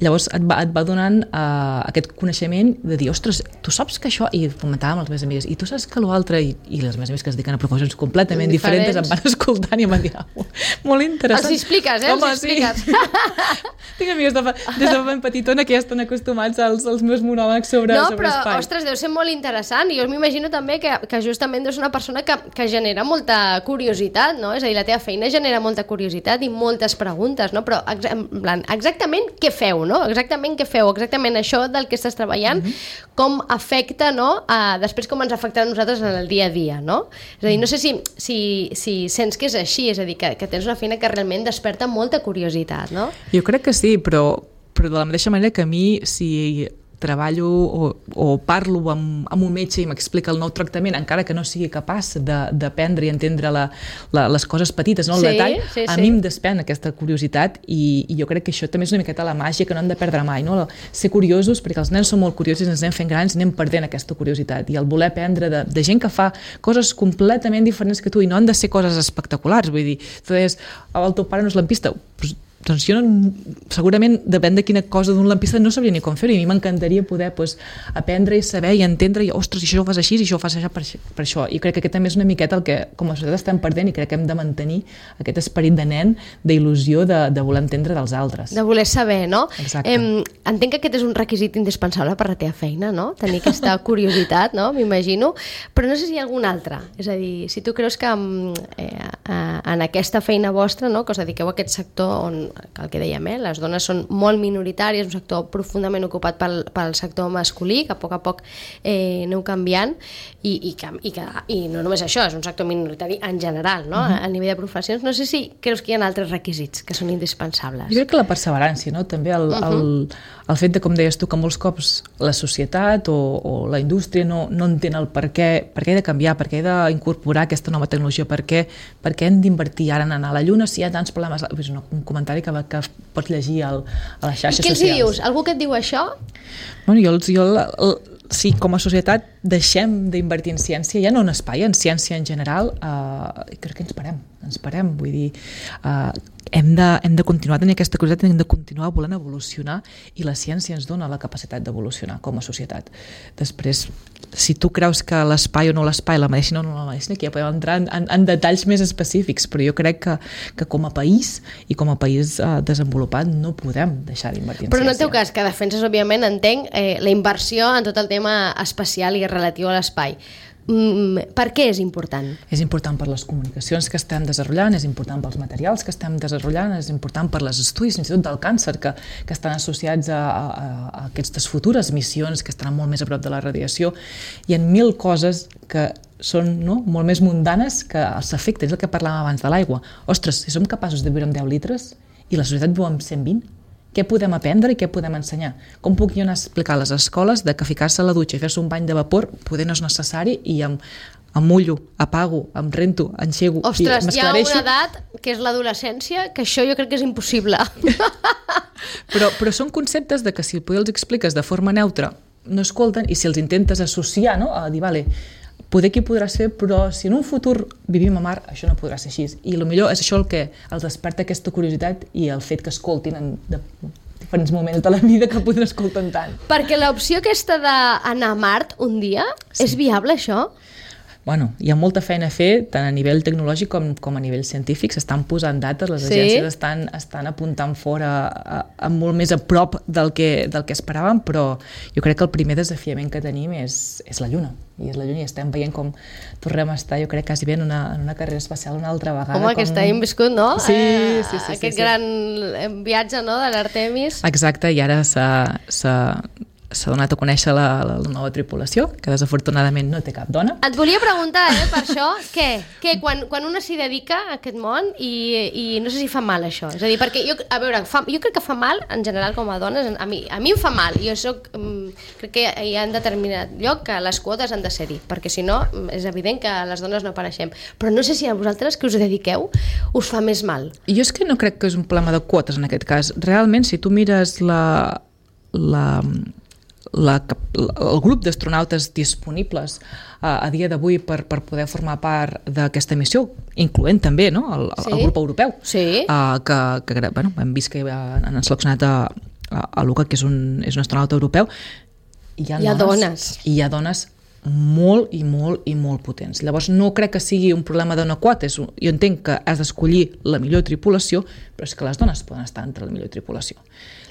llavors et va, et va donant uh, aquest coneixement de dir, ostres, tu saps que això, i comentàvem amb les meves amigues, i tu saps que l'altre, i, i les meves amigues que es dediquen a professions completament diferents, diferents em van escoltant i em van dir, oh, molt interessant. Els expliques, eh? Home, Els expliques. Sí. Tinc amigues de, des de ben petitona que ja estan acostumats als, als meus monòlegs sobre, no, sobre però, espai. ostres, deu ser molt interessant. Jo m'imagino també que, que justament deus ser una persona que, que genera molta curiositat, no? És a dir, la teva feina genera molta curiositat i moltes preguntes, no? Però ex en plan, exactament què feu, no? Exactament què feu, exactament això del que estàs treballant, mm-hmm. com afecta, no? Uh, després com ens afecta a nosaltres en el dia a dia, no? És a dir, no sé si, si, si sents que és així, és a dir, que, que tens una feina que realment desperta molta curiositat, no? Jo crec que sí, però, però de la mateixa manera que a mi, si treballo o, o parlo amb, amb un metge i m'explica el nou tractament, encara que no sigui capaç d'aprendre i entendre la, la, les coses petites, no? El sí, detall, sí, a sí. mi em despèn aquesta curiositat i, i jo crec que això també és una miqueta la màgia que no hem de perdre mai, no? Ser curiosos, perquè els nens són molt curiosos i ens anem fent grans i anem perdent aquesta curiositat, i el voler aprendre de, de gent que fa coses completament diferents que tu, i no han de ser coses espectaculars, vull dir, tu deies, el teu pare no és lampista, doncs doncs jo no, segurament depèn de quina cosa d'un lampista no sabria ni com fer-ho, i a mi m'encantaria poder pues, aprendre i saber i entendre i ostres, i això ho fas així i això ho fas així per, per això, i crec que aquest també és una miqueta el que com a societat estem perdent, i crec que hem de mantenir aquest esperit de nen, d'il·lusió de, de voler entendre dels altres. De voler saber, no? Exacte. Eh, entenc que aquest és un requisit indispensable per la teva feina, no? Tenir aquesta curiositat, no? M'imagino, però no sé si hi ha algun altre, és a dir, si tu creus que eh, en aquesta feina vostra, no? Que us dediqueu a aquest sector on que el que dèiem, eh? Les dones són molt minoritàries, un sector profundament ocupat pel, pel sector masculí, que a poc a poc eh, aneu canviant, i, i, que, i, que, i no només això, és un sector minoritari en general, no? Uh-huh. a, a nivell de professions. No sé si creus que hi ha altres requisits que són indispensables. Jo crec que la perseverància, no? També el, uh-huh. el, el fet de, com deies tu, que molts cops la societat o, o la indústria no, no entén el per què, per què he de canviar, per què he d'incorporar aquesta nova tecnologia, per què, per què hem d'invertir ara en anar a la Lluna si hi ha tants problemes. És un comentari que, que pots llegir al, a les xarxes socials. I què els socials. Dius? Algú que et diu això? Bueno, jo, jo el, el, si com a societat deixem d'invertir en ciència, ja no en espai, en ciència en general, eh, crec que ens parem, ens parem, vull dir, eh, hem de, hem de continuar tenint aquesta curiositat, hem de continuar volent evolucionar, i la ciència ens dona la capacitat d'evolucionar com a societat. Després, si tu creus que l'espai o no l'espai, la medicina o no la medicina, aquí ja podem entrar en, en, en detalls més específics, però jo crec que, que com a país i com a país eh, desenvolupat no podem deixar d'invertir en però ciència. Però en el teu cas, que defenses, òbviament, entenc eh, la inversió en tot el tema espacial i relatiu a l'espai. Mm, per què és important? És important per les comunicacions que estem desenvolupant, és important pels materials que estem desenvolupant, és important per les estudis, fins i tot del càncer, que, que estan associats a, a, a aquestes futures missions que estaran molt més a prop de la radiació. Hi ha mil coses que són no, molt més mundanes que els efectes, és el que parlàvem abans de l'aigua. Ostres, si som capaços de viure amb deu litres i la societat viu amb cent vint, què podem aprendre i què podem ensenyar? Com puc jo anar a explicar a les escoles de que ficar-se a la dutxa i fer-se un bany de vapor poder no és necessari, i em, em mullo, apago, em rento, enxego i m'esclareixo? Ostres, hi ha una edat, que és l'adolescència, que això jo crec que és impossible. però, però són conceptes de que si els expliques de forma neutra no escolten, i si els intentes associar, no? A dir, vale, poder que hi podràs fer, però si en un futur vivim a mar, això no podrà ser així. I potser és això el que els desperta aquesta curiositat i el fet que escoltin en de diferents moments de la vida que poden escoltar tant. Perquè l'opció aquesta d'anar a Mart un dia, sí. És viable, això? Bueno, hi ha molta feina a fer, tant a nivell tecnològic com, com a nivell científic. S'estan posant dates, les sí? agències estan, estan apuntant fora a, a molt més a prop del que, del que esperàvem, però jo crec que el primer desafiament que tenim és, és la Lluna. I és la Lluna, i estem veient com tornem a estar, jo crec, quasi bé en una, en una carrera espacial una altra vegada. Home, com... aquest any hem viscut, no? Sí, sí, sí. sí Aquest sí, gran sí. viatge, no?, de l'Artemis. Exacte, i ara s'ha... s'ha s'ha donat a conèixer la, la nova tripulació, que desafortunadament no té cap dona. Et volia preguntar, eh, per això, què? què? Quan, quan una s'hi dedica a aquest món i, i no sé si fa mal això. És a dir, perquè jo, a veure, fa, jo crec que fa mal, en general, com a dones, a mi, a mi em fa mal. Jo soc, crec que hi ha en determinat lloc que les quotes han de ser-hi, perquè si no, és evident que les dones no apareixem. Però no sé si a vosaltres que us dediqueu us fa més mal. Jo és que no crec que és un problema de quotes en aquest cas. Realment, si tu mires la... la La, el grup d'astronautes disponibles a, a dia d'avui per, per poder formar part d'aquesta missió, incloent també no? el, sí? el grup europeu, sí? uh, que, que bueno, hem vist que han seleccionat a, a, a Luca, que és un, és un astronauta europeu. Hi ha, hi ha dones, dones. I hi ha dones molt i molt i molt potents. Llavors no crec que sigui un problema d'una quota, és un, jo entenc que has d'escollir la millor tripulació, però és que les dones poden estar entre la millor tripulació.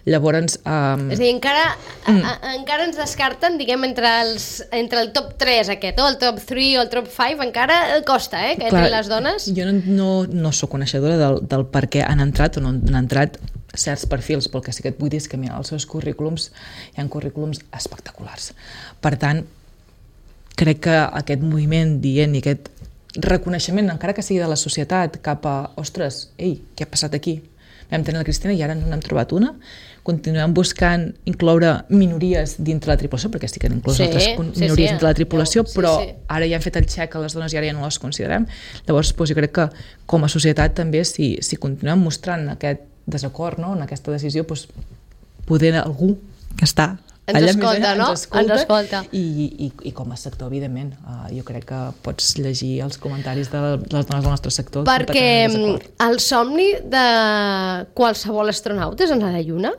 Llavors... Um... És a dir, encara, mm. a, a, encara ens descarten, diguem, entre, els, entre el top tres aquest, o el top tres o el top cinc, encara costa, eh, que entrin les dones. Jo no, no, no soc coneixedora del, del per què han entrat o no han entrat certs perfils, però el que sí que et vull dir és que mira, els seus currículums, hi ha currículums espectaculars. Per tant, crec que aquest moviment dient i aquest reconeixement, encara que sigui de la societat, cap a, ostres, ei, què ha passat aquí? Vam tenir la Cristina i ara no n'hem trobat una. Continuem buscant incloure minories dintre la tripulació, perquè sí que han inclòs sí, altres minories sí, sí, dintre la tripulació, sí, però sí. Ara ja hem fet el xec a les dones i ara ja no les considerem. Llavors, doncs, jo crec que com a societat també, si, si continuem mostrant aquest desacord, no?, en aquesta decisió, doncs, poder algú que està ens allà escolta, més allà, no? Ens escolta, ens escolta. I, i, i com a sector, evidentment, uh, jo crec que pots llegir els comentaris de les dones del nostre sector. Perquè el somni de qualsevol astronauta és anar a la Lluna?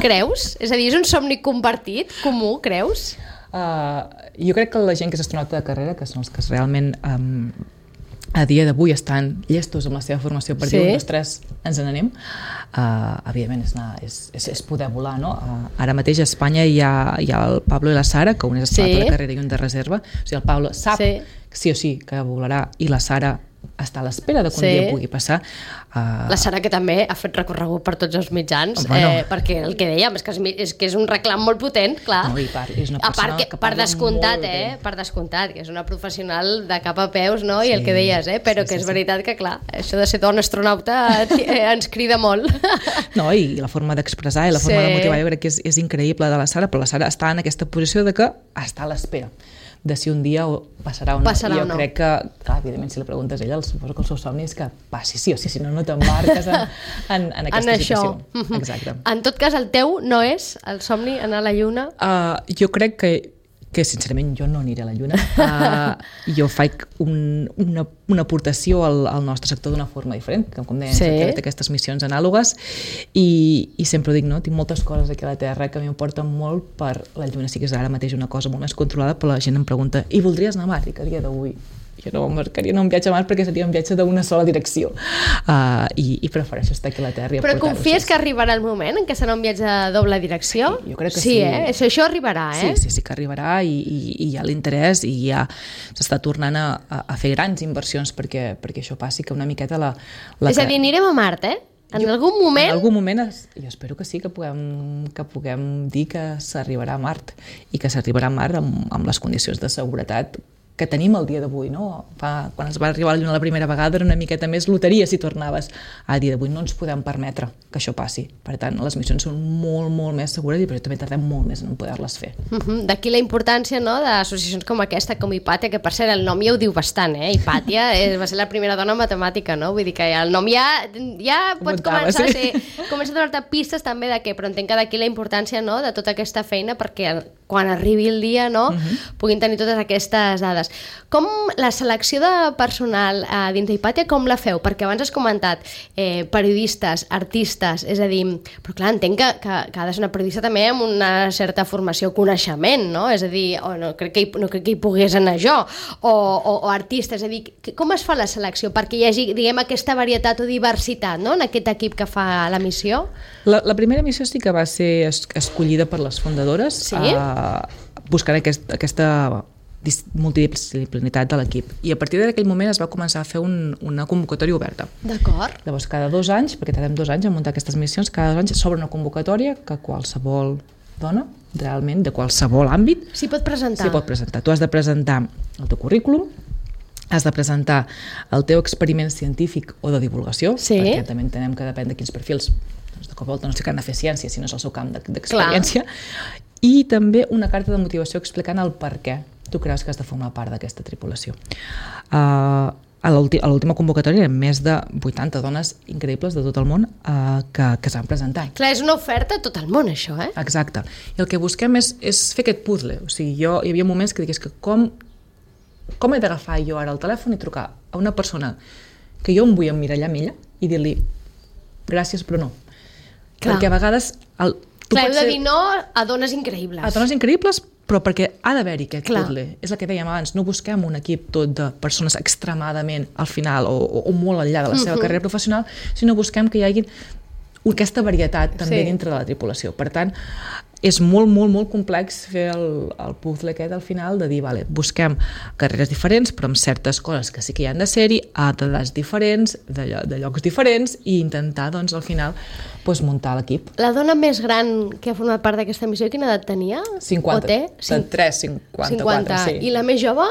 Creus? És a dir, és un somni compartit, comú, creus? Uh, jo crec que la gent que és astronauta de carrera, que són els que realment um, a dia d'avui estan llestos amb la seva formació per sí. dir, un, dos, tres, ens n'anem, uh, evidentment és, anar, és, és, és poder volar, no? Uh, ara mateix a Espanya hi ha, hi ha el Pablo i la Sara, que un és astronauta sí. de carrera i un de reserva, o sigui, el Pablo sap sí, sí o sí que volarà i la Sara està a l'espera de que un sí. dia pugui passar. Uh... La Sara, que també ha fet recorregut per tots els mitjans, bueno. eh, perquè el que dèiem és que és, és que és un reclam molt potent, clar. No, i part, és una a part que, que per descomptat, eh, per descomptat, que és una professional de cap a peus, no? Sí, i el que deies, eh, però sí, que és sí, veritat sí. que, clar, això de ser dona astronauta eh, ens crida molt. No, i la forma d'expressar i la forma sí. de motivar, jo crec que és, és increïble de la Sara, però la Sara està en aquesta posició de que està a l'espera de si un dia passarà o no. Passarà I jo o no. crec que, clar, evidentment, si li preguntes a ella, suposo que el seu somni és que passi sí o sí, si no, no t'embarques en, en, en aquesta en situació. Això. Exacte. En tot cas, el teu no és el somni anar a la Lluna? Uh, jo crec que que sincerament jo no aniré a la Lluna. Uh, jo faig un, una, una aportació al, al nostre sector d'una forma diferent, que com deia, sí. he fet aquestes missions anàlogues i, i sempre ho dic, no? Tinc moltes coses aquí a la Terra que m'importen molt per la Lluna. Sí que és ara mateix una cosa molt més controlada, però la gent em pregunta, i voldries anar a Mart? I que a dia d'avui jo no m'embarcaria en un viatge a Mart perquè seria un viatge d'una sola direcció. Uh, i, I prefereixo estar aquí a la Terra i Però confies que arribarà el moment en què serà un viatge de doble direcció? Sí, jo crec que sí. Sí, eh? Això, això arribarà, eh? Sí, sí, sí que arribarà i, i, i hi ha l'interès i ja s'està tornant a, a, a fer grans inversions perquè, perquè això passi, que una miqueta la... la és a dir, anirem a Mart, eh? En jo, algun moment... En algun moment, es, jo espero que sí, que puguem, que puguem dir que s'arribarà a Mart i que s'arribarà a Mart amb, amb les condicions de seguretat que tenim el dia d'avui, no? Fa, quan es va arribar a la Lluna la primera vegada era una miqueta més loteria si tornaves. A dia d'avui no ens podem permetre que això passi. Per tant, les missions són molt, molt més segures i per això també tardem molt més en poder-les fer. Uh-huh. D'aquí la importància, no?, d'associacions com aquesta, com Hipàtia, que per cert el nom ja ho diu bastant, eh? Hipàtia és, va ser la primera dona matemàtica, no? Vull dir que ja el nom ja, ja pot Montava, començar sí. a ser... Comença a donar-te pistes també de què, però entenc que d'aquí la importància, no?, de tota aquesta feina perquè quan arribi el dia, no?, uh-huh. puguin tenir totes aquestes dades. Com la selecció de personal eh, dins d'Hipàtia, com la feu? Perquè abans has comentat eh, periodistes, artistes, és a dir, però clar, entenc que, que, que ha de ser una periodista també amb una certa formació, coneixement, no? És a dir, oh, no, crec que hi, no crec que hi pogués anar jo, o, o, o artista, és a dir, com es fa la selecció perquè hi hagi, diguem, aquesta varietat o diversitat, no?, en aquest equip que fa la missió? La, la primera missió sí que va ser es, escollida per les fundadores, sí? uh, buscant aquest, aquesta multidisciplinitat de l'equip. I a partir d'aquell moment es va començar a fer un, una convocatòria oberta. D'acord. Llavors, cada dos anys, perquè tardem dos anys a muntar aquestes missions, cada dos anys s'obre una convocatòria que qualsevol dona, realment, de qualsevol àmbit, s'hi pot presentar. S'hi pot presentar. Tu has de presentar el teu currículum, has de presentar el teu experiment científic o de divulgació, sí. perquè també entenem que depèn de quins perfils, doncs de cop volta no sé que han de fer ciència, si no és el seu camp d'experiència, i també una carta de motivació explicant el per què tu creus que has de formar part d'aquesta tripulació. Uh, a l'última convocatòria hi ha més de vuitanta dones increïbles de tot el món uh, que, que s'han presentat. Clar, és una oferta a tot el món, això, eh? Exacte. I el que busquem és, és fer aquest puzzle. O sigui, jo, hi havia moments que digués que com, com he d'agafar jo ara el telèfon i trucar a una persona que jo em vull emmirallar amb ella i dir-li gràcies però no. Clar. Perquè a vegades el, Clar, heu de dir no a dones increïbles. A dones increïbles, però perquè ha d'haver-hi aquest Clar. puzzle. És el que dèiem abans, no busquem un equip tot de persones extremadament al final o, o, o molt enllà de la seva uh-huh. carrera professional, sinó busquem que hi hagi aquesta varietat també sí. dintre de la tripulació. Per tant, és molt, molt, molt complex fer el, el puzzle aquest al final de dir, vale, busquem carreres diferents, però amb certes coses que sí que hi han de ser-hi, a edats diferents, de, de llocs diferents, i intentar, doncs, al final, doncs, muntar l'equip. La dona més gran que ha format part d'aquesta missió, quina edat tenia? cinquanta. O té? Cin- tres, cinquanta-quatre, sí. I la més jove?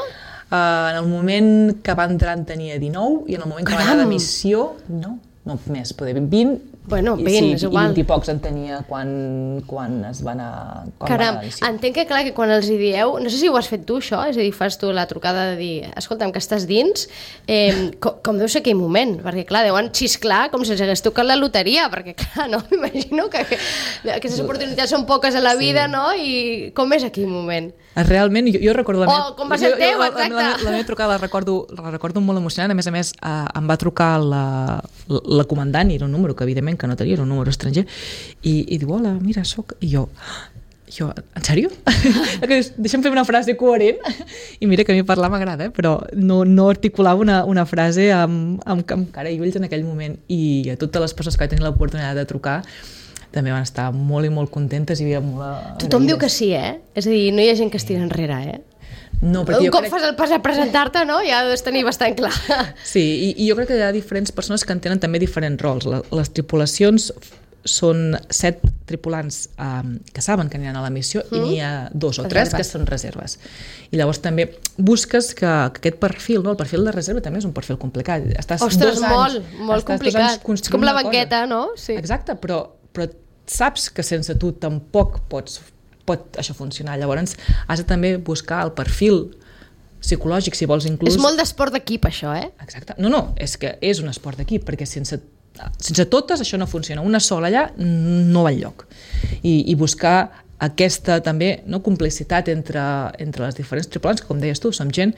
Uh, en el moment que va entrar en tenia dinou, i en el moment que Caram! va anar de missió, no, no més, poder vint, Bueno, i, vint, sí, és igual. I vint i pocs en tenia quan, quan es va anar... Quan Caram, va anar a entenc que clar, que quan els hi dieu, no sé si ho has fet tu això, és a dir, fas tu la trucada de dir, escolta'm, que estàs dins, eh, com, com deu ser aquell moment, perquè clar, deuen xisclar com si els hagués tocat la loteria, perquè clar, no, m'imagino que, que aquestes oportunitats són poques a la vida, sí. no? I com és aquell moment? Realment, jo, jo recordo... La Oh, meva, com va ser el teu, la, exacte. La, la, la meva trucada la recordo, la recordo molt emocionant, a més a més eh, em va trucar la, la, la comandant, i era un número que evidentment que no tenia, era un número estranger, i, i diu, hola, mira, soc... I jo, jo en sèrio? Deixa'm fer una frase coherent, i mira que a mi parlar m'agrada, eh? Però no, no articulava una, una frase amb, amb, amb cara i ulls en aquell moment, i a totes les persones que vaig tenir l'oportunitat de trucar també van estar molt i molt contentes i havia molt... Tothom diu que sí, eh? És a dir, no hi ha gent que es tira enrere, eh? No, un cop crec... fas el pas a presentar-te, no? Ja ho has tenir bastant clar. Sí, i, i jo crec que hi ha diferents persones que en tenen també diferents rols. La, les tripulacions són set tripulants um, que saben que aniran a la missió mm. i n'hi ha dos o tres que són reserves. I llavors també busques que, que aquest perfil, no? El perfil de reserva també és un perfil complicat. Estàs Ostres, dos anys, molt, molt complicat. És com la banqueta, no? Sí. Exacte, però, però saps que sense tu tampoc pots, pot això funcionar. Llavors has de també buscar el perfil psicològic, si vols inclús... És molt d'esport d'equip, això, eh? Exacte. No, no, és que és un esport d'equip, perquè sense sense totes això no funciona, una sola allà no va enlloc, i, i buscar aquesta també no, complicitat entre, entre les diferents tripulants, que com deies tu, som gent,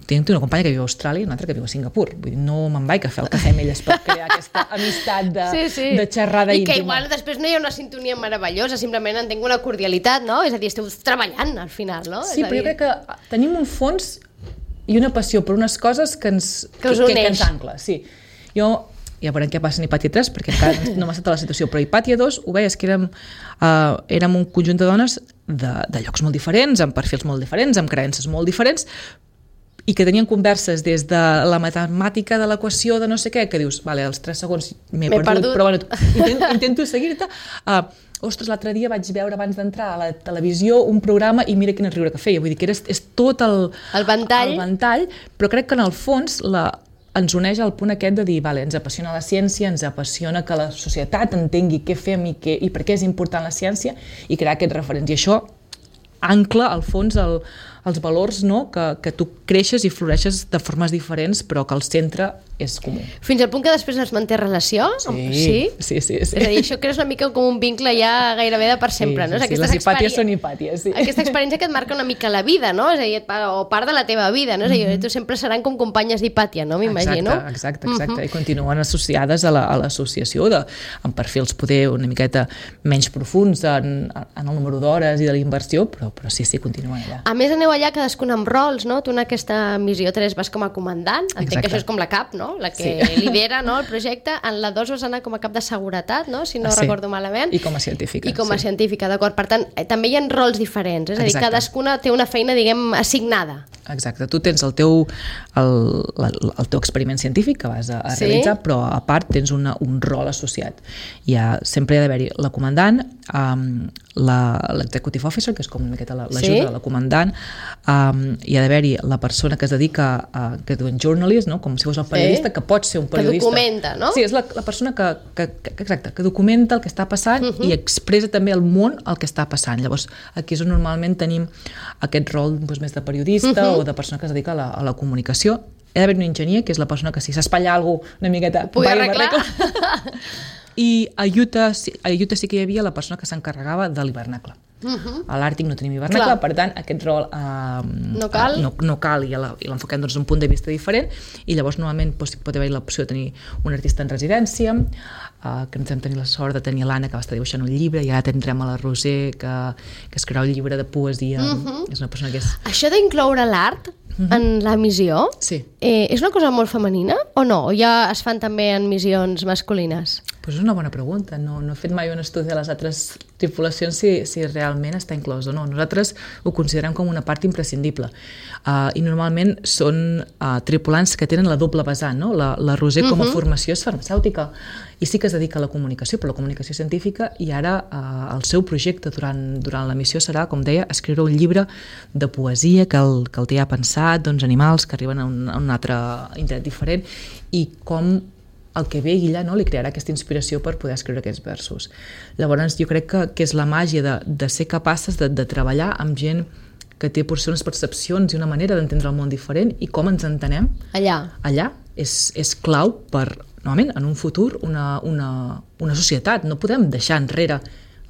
tinc una companya que viu a Austràlia i una altra que viu a Singapur, vull dir, no me'n vaig a fer el cafè amb elles per crear aquesta amistat de, sí, sí. de xerrada i íntima. I que igual després no hi ha una sintonia meravellosa, simplement en tinc una cordialitat, no? És a dir, esteu treballant al final, no? Sí, és però dir... jo crec que tenim un fons i una passió per unes coses que ens, que us que, que, que ens ens ancla, sí. Jo ja veurem què passa en Hipàtia tres, perquè encara no m'ha estat a la situació, però Hipàtia dos ho veies que érem, uh, érem un conjunt de dones de, de llocs molt diferents, amb perfils molt diferents, amb creences molt diferents, i que tenien converses des de la matemàtica de l'equació de no sé què, que dius, vale, als tres segons m'he perdut, perdut, però bueno, intento, intento seguir-te. Uh, ostres, l'altre dia vaig veure abans d'entrar a la televisió un programa i mira quin riure que feia, vull dir que era, és tot el, el, ventall. el ventall, però crec que en el fons la ens uneix al punt aquest de dir, vale, ens apassiona la ciència, ens apassiona que la societat entengui què fem i, què, i per què és important la ciència i crear aquests referents. I això ancla, al fons, el, els valors, no? que, que tu creixes i floreixes de formes diferents, però que el centre és comú. Fins al punt que després es manté relació? Sí, sí? sí, sí, sí. És a dir, això creus una mica com un vincle ja gairebé de per sempre, sí, no? Sí, sí, les hipàties són hipàties, sí. Aquesta experiència que et marca una mica la vida, no? És a dir, o part de la teva vida, no? És a dir, tu sempre seran com companyes d'hipàtia, no? M'imagino. Exacte, exacte, exacte. Uh -huh. I continuen associades a l'associació la, amb perfils poder una miqueta menys profuns en, en el número d'hores i de la inversió, però, però sí, sí, continuen allà. A més, aneu allà cadascun amb rols, no? Tu en aquesta missió tres vas com a comandant, entenc exacte. que això és com la cap, no? La que sí. lidera, no, el projecte. En la dos vas anar com a cap de seguretat, no? Si no sí. recordo malament. I com a científica. I com a sí. científica, d'acord. Per tant, eh, també hi ha rols diferents, és a dir, exacte. cadascuna té una feina, diguem, assignada. Exacte, tu tens el teu, el, el teu experiment científic que vas a, a sí. realitzar, però a part tens una, un rol associat. Hi ha, sempre hi ha d'haver-hi la comandant, um, l'executive officer, que és com una miqueta l'ajuda sí? de la comandant, um, hi ha d'haver-hi la persona que es dedica a, que diuen journalist, no? Com si fos el periodista, sí? que pot ser un periodista. Que documenta, no? Sí, és la, la persona que, que, que, exacte, que documenta el que està passant uh-huh. i expressa també al món el que està passant. Llavors, aquí és on normalment tenim aquest rol doncs, més de periodista uh-huh. o de persona que es dedica a la, a la comunicació. Hi ha d'haver un enginyer, que és la persona que si s'espatlla alguna cosa una miqueta... Ho pugui arreglar. i a Utah, a Utah sí que hi havia la persona que s'encarregava de l'hivernacle. Uh-huh. A l'Àrtic no tenim hivernacle, per tant aquest rol uh, no cal, uh, no, no cal i l'enfoquem doncs, d'un punt de vista diferent, i llavors normalment doncs, pot haver l'opció de tenir un artista en residència, uh, que ens hem tenir la sort de tenir l'Anna, que va estar dibuixant un llibre, i ara tindrem a la Roser, que, que escriurà un llibre de poesia. Uh-huh. És una persona que és... Això d'incloure l'art uh-huh. en la missió, sí. eh, és una cosa molt femenina o no? O ja es fan també en missions masculines? Pues és una bona pregunta. No, no he fet mai un estudi de les altres tripulacions si, si realment està inclòs o no. Nosaltres ho considerem com una part imprescindible. Uh, I normalment són uh, tripulants que tenen la doble vessant, no? La, la Roser com a uh-huh. formació és farmacèutica i sí que es dedica a la comunicació, però la comunicació científica, i ara uh, el seu projecte durant, durant la missió serà, com deia, escriure un llibre de poesia que el, que el té ja pensat, doncs animals que arriben a un, a un altre indret diferent, i com el que ve ella, no, li crearà aquesta inspiració per poder escriure aquests versos. Llavors jo crec que, que és la màgia de, de ser capaces de, de treballar amb gent que té potser unes percepcions i una manera d'entendre el món diferent, i com ens entenem allà, allà és, és clau per, normalment, en un futur, una, una, una societat. No podem deixar enrere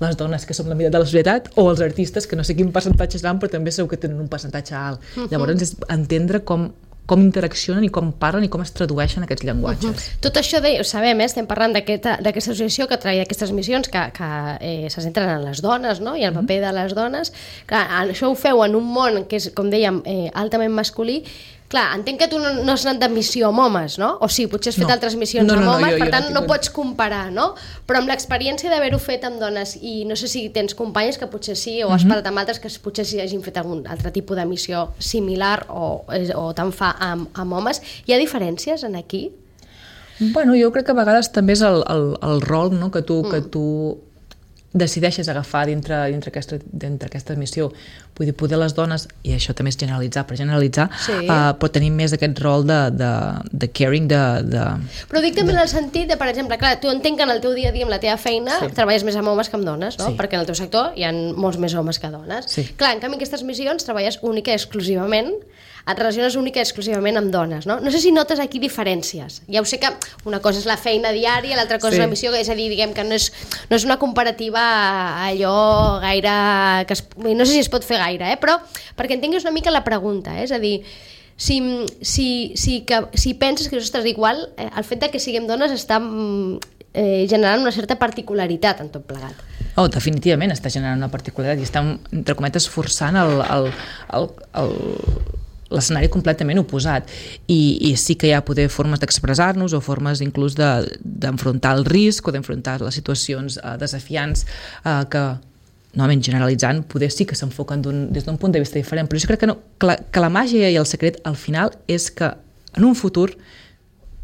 les dones que som la meitat de la societat, o els artistes, que no sé quin percentatge seran, però també segur que tenen un percentatge alt. Uh-huh. Llavors és entendre com com interaccionen i com parlen i com es tradueixen aquests llenguatges. Uh-huh. Tot això de, ho sabem, eh? Estem parlant d'aquesta associació que treballa aquestes missions que, que eh, se centren en les dones, no? I el paper de les dones. Clar, això ho feu en un món que és, com dèiem, eh, altament masculí. Clar, entenc que tu no, no has anat de missió amb homes, no? O sí, potser has fet no. altres missions no, no, amb homes, no, jo, per tant jo no, no pots comparar, no? Però amb l'experiència d'haver-ho fet amb dones, i no sé si tens companyes que potser sí, o has uh-huh. parlat amb altres que potser sí hagin fet algun altre tipus de missió similar o, o tant fa amb, amb homes, hi ha diferències en aquí? Bueno, jo crec que a vegades també és el, el, el rol, no? que tu... Mm. que tu decideixes agafar dintre, dintre, aquesta, dintre aquesta missió. Vull dir, poder les dones, i això també és generalitzar, per generalitzar, sí. uh, però tenim més aquest rol de, de, de caring, de, de... Però dic també de... en el sentit de, per exemple, clar, tu entenc que en el teu dia a dia, amb la teva feina, sí. treballes més amb homes que amb dones, no? Sí. Perquè en el teu sector hi ha molts més homes que dones. Sí. Clar, en canvi, en aquestes missions treballes única i exclusivament, et relaciones única i exclusivament amb dones, no? No sé si notes aquí diferències. Ja ho sé que una cosa és la feina diària, l'altra cosa sí. és la missió, és a dir, diguem que no és, no és una comparativa allò gaire... Que es, no sé si es pot fer gaire, eh? Però perquè entenguis una mica la pregunta, eh? És a dir, si, si, si, que, si penses que, ostres, igual, eh, el fet de que siguem dones està eh, generant una certa particularitat en tot plegat. Oh, definitivament està generant una particularitat i estem, entre cometes, forçant el... el, el, el l'escenari completament oposat, I, i sí que hi ha poder formes d'expressar-nos o formes inclús d'enfrontar de, el risc o d'enfrontar les situacions uh, desafiants uh, que, novament generalitzant, poder sí que s'enfoquen des d'un punt de vista diferent, però jo crec que, no, que, la, que la màgia i el secret al final és que en un futur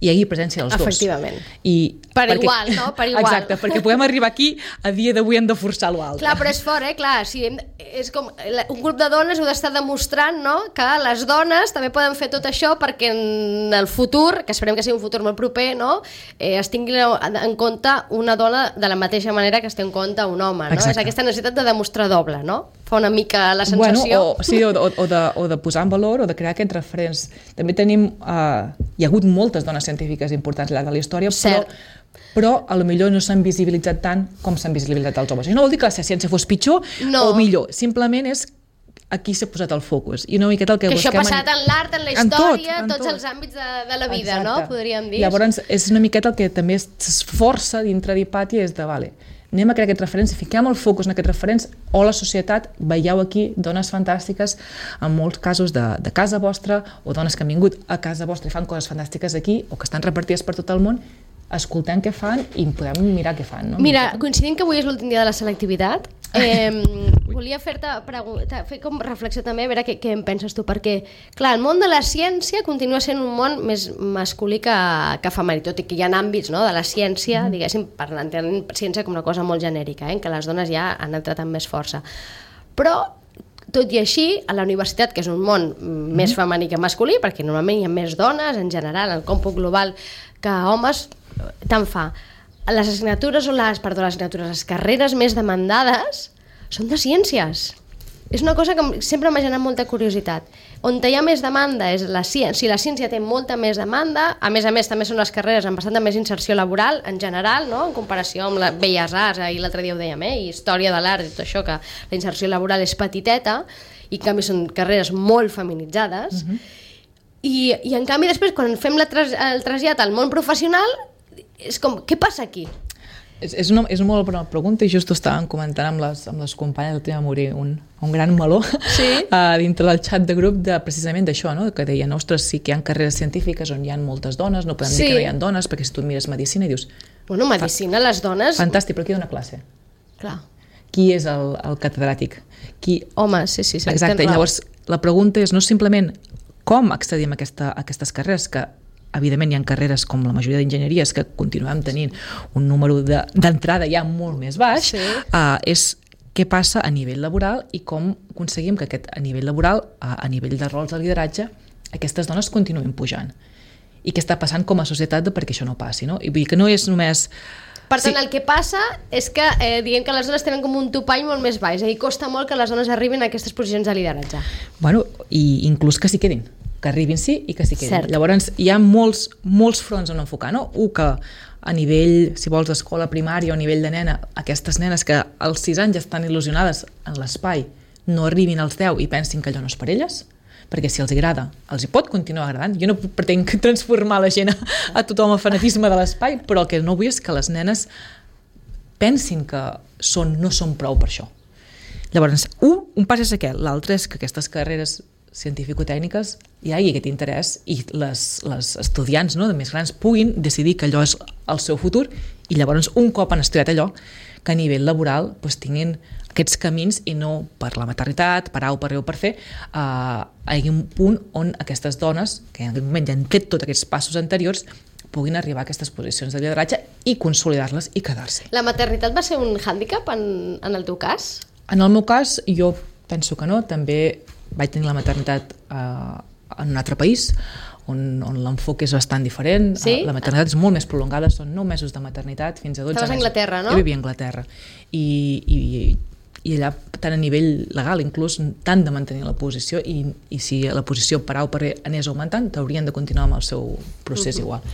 hi hagi presència dels dos. Efectivament. I per perquè, igual, no? Per igual. Exacte, perquè podem arribar aquí, a dia d'avui hem de forçar l'altre. Clar, però és fort, eh? Clar, si hem, és com, un grup de dones heu d'estar demostrant, no?, que les dones també poden fer tot això perquè en el futur, que esperem que sigui un futur molt proper, no?, eh, es tingui en compte una dona de la mateixa manera que es té en compte un home, no? Exacte. És aquesta necessitat de demostrar doble, no? Fa una mica la sensació... Bueno, o, sí, o, o, o, de, o de posar en valor o de crear aquests referents. També tenim... Uh, hi ha hagut moltes dones científiques importants al llarg de la història, però, però a lo millor no s'han visibilitzat tant com s'han visibilitzat els homes. I no vol dir que la ciència fos pitjor no. o millor, simplement és aquí s'ha posat el focus. I una miqueta el que, que busquem... això ha passat en l'art, en la història, en tot, en tots tot. els àmbits de, de la vida, exacte. No? Podríem dir. Llavors és una miqueta el que també s'esforça dintre d'Hipàtia, és de, vale, anem a crear aquests referents, fiquem el focus en aquests referents, o la societat, veieu aquí dones fantàstiques, en molts casos de, de casa vostra, o dones que han vingut a casa vostra i fan coses fantàstiques aquí, o que estan repartides per tot el món, escoltem què fan i podem mirar què fan. No? Mira, coincidint que avui és l'últim dia de la selectivitat, eh, volia fer-te fer com reflexió també, a veure què, què en penses tu, perquè, clar, el món de la ciència continua sent un món més masculí que, que femení, tot i que hi ha àmbits, no?, de la ciència, mm. diguéssim, parlant de ciència com una cosa molt genèrica, eh, en què les dones ja han entrat amb més força. Però, tot i així, a la universitat, que és un món mm. més femení que masculí, perquè normalment hi ha més dones, en general, en còmput global, que homes, tant fa. Les assignatures o les, perdó, les assignatures, les carreres més demandades són de ciències. és una cosa que sempre m'ha generat molta curiositat. On hi ha més demanda és la ciència. Si la ciència té molta més demanda, a més a més també són les carreres amb bastanta més inserció laboral en general, no? En comparació amb les belles arts, ahir l'altre dia ho dèiem, eh? I història de l'art i tot això, que la inserció laboral és petiteta i en canvi són carreres molt feminitzades. Uh-huh. I, i en canvi després quan fem la tras, el trasllat al món professional és com, què passa aquí? És, és, una, és una molt bona pregunta i just ho estàvem comentant amb les, amb les companyes, el tema morir un, un gran meló sí? uh, dintre del xat de grup de, precisament d'això, no? Que deien, ostres, sí que hi ha carreres científiques on hi ha moltes dones, no podem sí. dir que no hi ha dones, perquè si tu mires medicina i dius... Bueno, medicina, fa, les dones... Fantàstic, però qui dona classe? Clar. Qui és el, el catedràtic? Qui... Home, sí, sí. sí exacte, i llavors la pregunta és no simplement com accedim a, aquesta, a aquestes carreres, que evidentment hi ha carreres com la majoria d'enginyeries que continuem tenint un número d'entrada de, ja molt més baix, sí. uh, és què passa a nivell laboral i com aconseguim que aquest, a nivell laboral, a, a nivell de rols de lideratge, aquestes dones continuïn pujant. I què està passant com a societat perquè això no passi, no? I vull dir que no és només... Per tant, sí. El que passa és que eh, diguem que les dones tenen com un topall molt més baix, és a dir, costa molt que les dones arribin a aquestes posicions de lideratge. Bueno, i inclús que s'hi quedin. Que arribin sí i que s'hi quedin. Cert. Llavors hi ha molts, molts fronts on enfocar, no? Un que a nivell, si vols, d'escola primària o a nivell de nena, aquestes nenes que als sis anys estan il·lusionades en l'espai no arribin als deu i pensin que allò no és per elles, perquè si els agrada, els hi pot continuar agradant. Jo no pretenc transformar la gent a, a tothom a fanatisme de l'espai, però el que no vull és que les nenes pensin que són, no són prou per això. Llavors, un, un pas és aquest, l'altre és que aquestes carreres científico-tècniques hi hagi aquest interès i les, les estudiants, no, de més grans puguin decidir que allò és el seu futur i llavors un cop han estudiat allò que a nivell laboral doncs, tinguin aquests camins i no per la maternitat, per A o per B o per C, eh, hi hagi un punt on aquestes dones, que en aquell moment ja han fet tots aquests passos anteriors, puguin arribar a aquestes posicions de lideratge i consolidar-les i quedar-se. La maternitat va ser un hàndicap en, en el teu cas? En el meu cas, jo penso que no, també vaig tenir la maternitat eh, en un altre país on, on l'enfoc és bastant diferent. Sí? La maternitat és molt més prolongada, són nou mesos de maternitat fins a dotze mesos. Estaves a Anglaterra, no? Jo vivia a Anglaterra i, i, i allà tant a nivell legal inclús tant de mantenir la posició i, i si la posició per A o per B anés augmentant t'haurien de continuar amb el seu procés uh-huh. igual.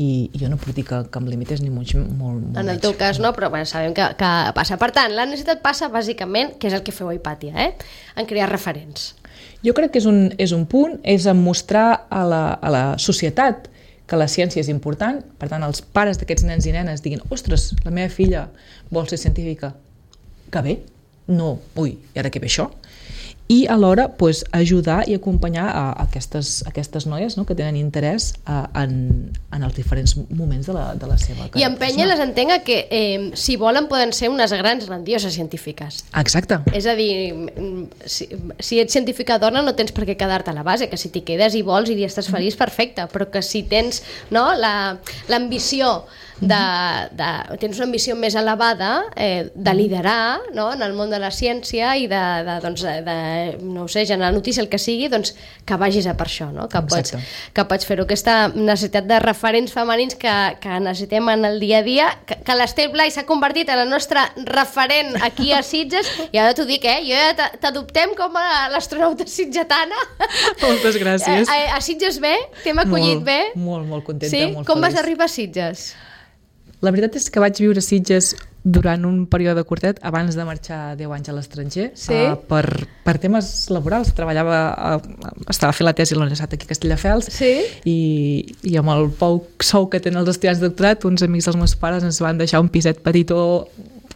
I, i jo no puc dir que, que em limités ni molt, molt, molt en el teu cas no, però bueno, sabem que, que passa. Per tant, la necessitat passa bàsicament, que és el que feu a Hipàtia, eh? En crear referents. Jo crec que és un, és un punt, és en mostrar a la, a la societat que la ciència és important, per tant els pares d'aquests nens i nenes diguin, ostres, la meva filla vol ser científica, que bé, no, ui, i ara què ve això? I alhora pues, ajudar i acompanyar a aquestes, aquestes noies no, que tenen interès a, en, en els diferents moments de la, de la seva carrera. I empènyer les entenc que eh, si volen poden ser unes grans grandioses científiques. Exacte. És a dir, si, si ets científica dona no tens per què quedar-te a la base, que si t'hi quedes i vols i estàs feliç, perfecte, però que si tens no, l'ambició de, de, tens una ambició més elevada eh, de liderar no, en el món de la ciència i de, de, doncs, de no ho sé, generar notícia, el que sigui, doncs que vagis a per això, no? Que pots, que pots fer-ho. Aquesta necessitat de referents femenins que, que necessitem en el dia a dia, que, que l'Ester Blai s'ha convertit en el nostre referent aquí a Sitges, i ara t'ho dic, eh? Jo ja t'adoptem com a l'astronauta sitgetana. Moltes gràcies. A, a, a Sitges bé? T'hem acollit molt, bé? Molt, molt contenta, sí? molt Com feliç. vas arribar a Sitges? La veritat és que vaig viure a Sitges durant un període curtet abans de marxar deu anys a l'estranger, sí? uh, per, per temes laborals. Treballava, uh, estava fent la tesi a la Universitat aquí a Castelldefels, sí? i, i amb el poc sou que tenen els estudiants de doctorat, uns amics dels meus pares ens van deixar un piset petitó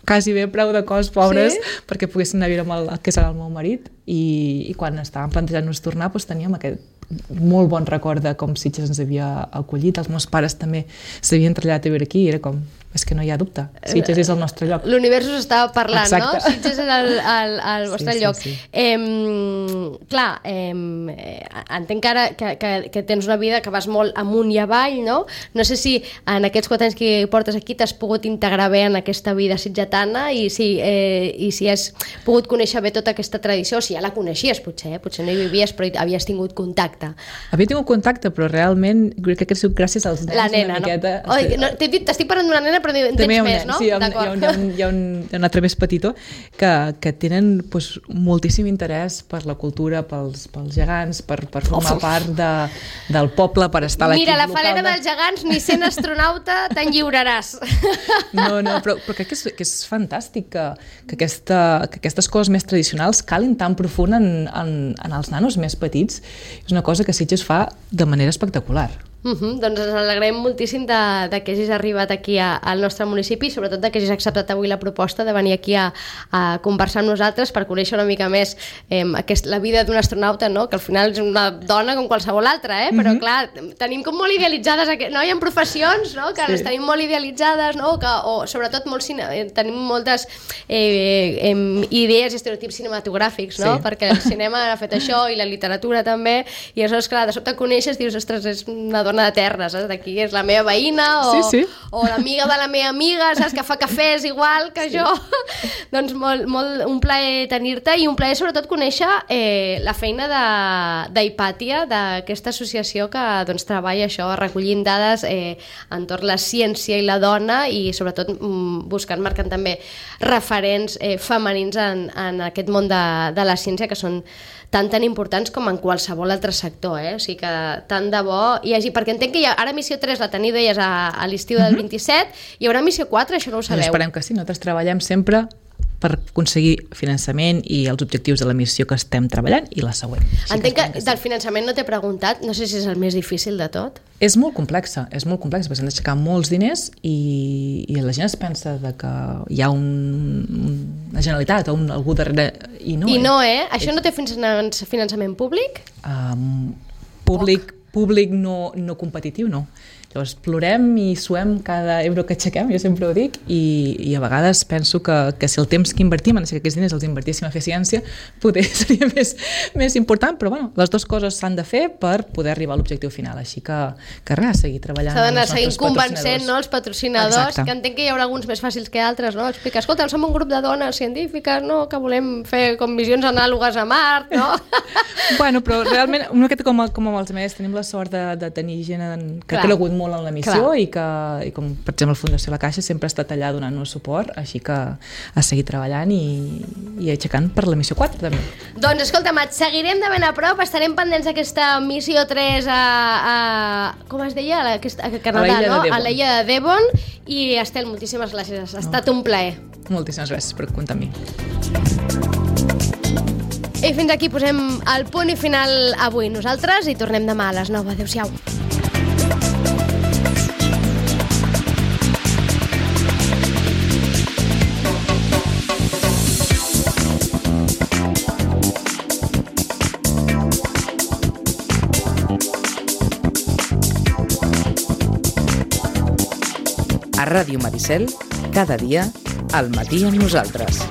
quasi bé preu de cost, pobres, sí? Perquè poguessin anar a viure amb el, que serà el meu marit, i, i quan estàvem plantejant-nos tornar doncs teníem aquest molt bon record de com Sitges ens havia acollit. Els meus pares també s'havien traslladat a viure aquí i era com, és que no hi ha dubte, Sitges és el nostre lloc. L'univers us estava parlant, exacte. No? Sitges és el, el, el vostre sí, lloc. Sí, sí. Eh, clar, eh, entenc ara que, que, que tens una vida que vas molt amunt i avall, no? No sé si en aquests quatre anys que portes aquí t'has pogut integrar bé en aquesta vida sitgetana i si, eh, i si has pogut conèixer bé tota aquesta tradició, o si ja la coneixies potser, eh? Potser no hi vivies però havies tingut contacte. Havia tingut contacte, però realment crec que ha sigut gràcies als nens. La nena, una miqueta, no? Oi, no t'he dit, t'estic parlant d'una nena però en tens més, no? Sí, hi ha, hi, ha un, hi, ha un, hi, ha un, hi ha un altre més petitó que, que tenen pues, moltíssim interès per la cultura, pels, pels gegants, per, per formar part de, del poble, per estar a l'equip local. Mira, la falena de... dels gegants, ni sent astronauta te'n lliuraràs. No, no, però, però crec que és, que és fantàstic que, que, aquesta, que aquestes coses més tradicionals calin tan profund en, en, en els nanos més petits. És una cosa que Sitges fa de manera espectacular. Uh -huh. Doncs ens alegrem moltíssim de, de que hagis arribat aquí a, al nostre municipi i sobretot de que hagis acceptat avui la proposta de venir aquí a, a conversar amb nosaltres per conèixer una mica més eh, aquest, la vida d'un astronauta, no? Que al final és una dona com qualsevol altra, eh? Però uh -huh. clar, tenim com molt idealitzades, no? Hi ha professions, no? Que sí. les tenim molt idealitzades, no? Que, o sobretot molt cine, tenim moltes eh, eh, idees i estereotips cinematogràfics, no? Sí. Perquè el cinema ha fet això i la literatura també, i aleshores, clar, de sobte coneixes, dius, ostres, és una dona de terra, saps? D'aquí és la meva veïna o, sí, sí. o l'amiga de la meva amiga, saps? Que fa cafès igual que sí. jo. Doncs molt, molt, un plaer tenir-te i un plaer sobretot conèixer eh, la feina d'Hipàtia, d'aquesta associació que doncs, treballa això, recollint dades eh, entorn la ciència i la dona i sobretot mm, buscant, marcant també referents eh, femenins en, en aquest món de, de la ciència que són tan tan importants com en qualsevol altre sector, eh? O sigui que tant de bo hi hagi, perquè entenc que hi ha, ara missió tres la teniu, deies, a, a l'estiu del vint-i-set, hi haurà missió quatre, això no ho sabeu? Doncs esperem que sí, nosaltres treballem sempre per aconseguir finançament i els objectius de la missió que estem treballant i la següent. Sí entenc que, que sí. Del finançament no t'he preguntat, no sé si és el més difícil de tot. És molt complexa, és molt complexa, perquè s'han d'aixecar molts diners i, i la gent es pensa de que hi ha un, una generalitat o un, algú darrere, i no. I no, eh? Això és... no té finançament públic? Um, públic, públic no, no competitiu, no. Llavors, plorem i suem cada euro que aixequem, jo sempre ho dic, i, i a vegades penso que, que si el temps que invertim en aquests diners els invertíssim a fer ciència, potser seria més, més important, però bueno, les dues coses s'han de fer per poder arribar a l'objectiu final, així que, que res, seguir treballant. S'ha d'anar seguint convencent, no?, els patrocinadors, exacte. Que entenc que hi haurà alguns més fàcils que altres, no? Explica, escolta, som un grup de dones científiques, no?, que volem fer com missions anàlogues a Mart, no? Bueno, però realment, una miqueta com, com amb els més, tenim la sort de, de tenir gent en, que Clar. ha cregut molt en la missió i que, i com per exemple Fundació La Caixa sempre ha estat allà donant-nos suport, així que a seguir treballant i, i aixecant per la missió quatre també. Doncs escolta'm, et seguirem de ben a prop, estarem pendents d'aquesta missió tres a, a com es deia? A, aquesta, a Canadà, a no? A l'illa de Devon, i Estel, moltíssimes gràcies, ha estat no. un plaer. Moltíssimes gràcies per comptar amb mi. I fins aquí posem el punt i final avui. Nosaltres i tornem demà a les nou. Adéu-siau. A Ràdio Maricel, cada dia, al matí amb nosaltres.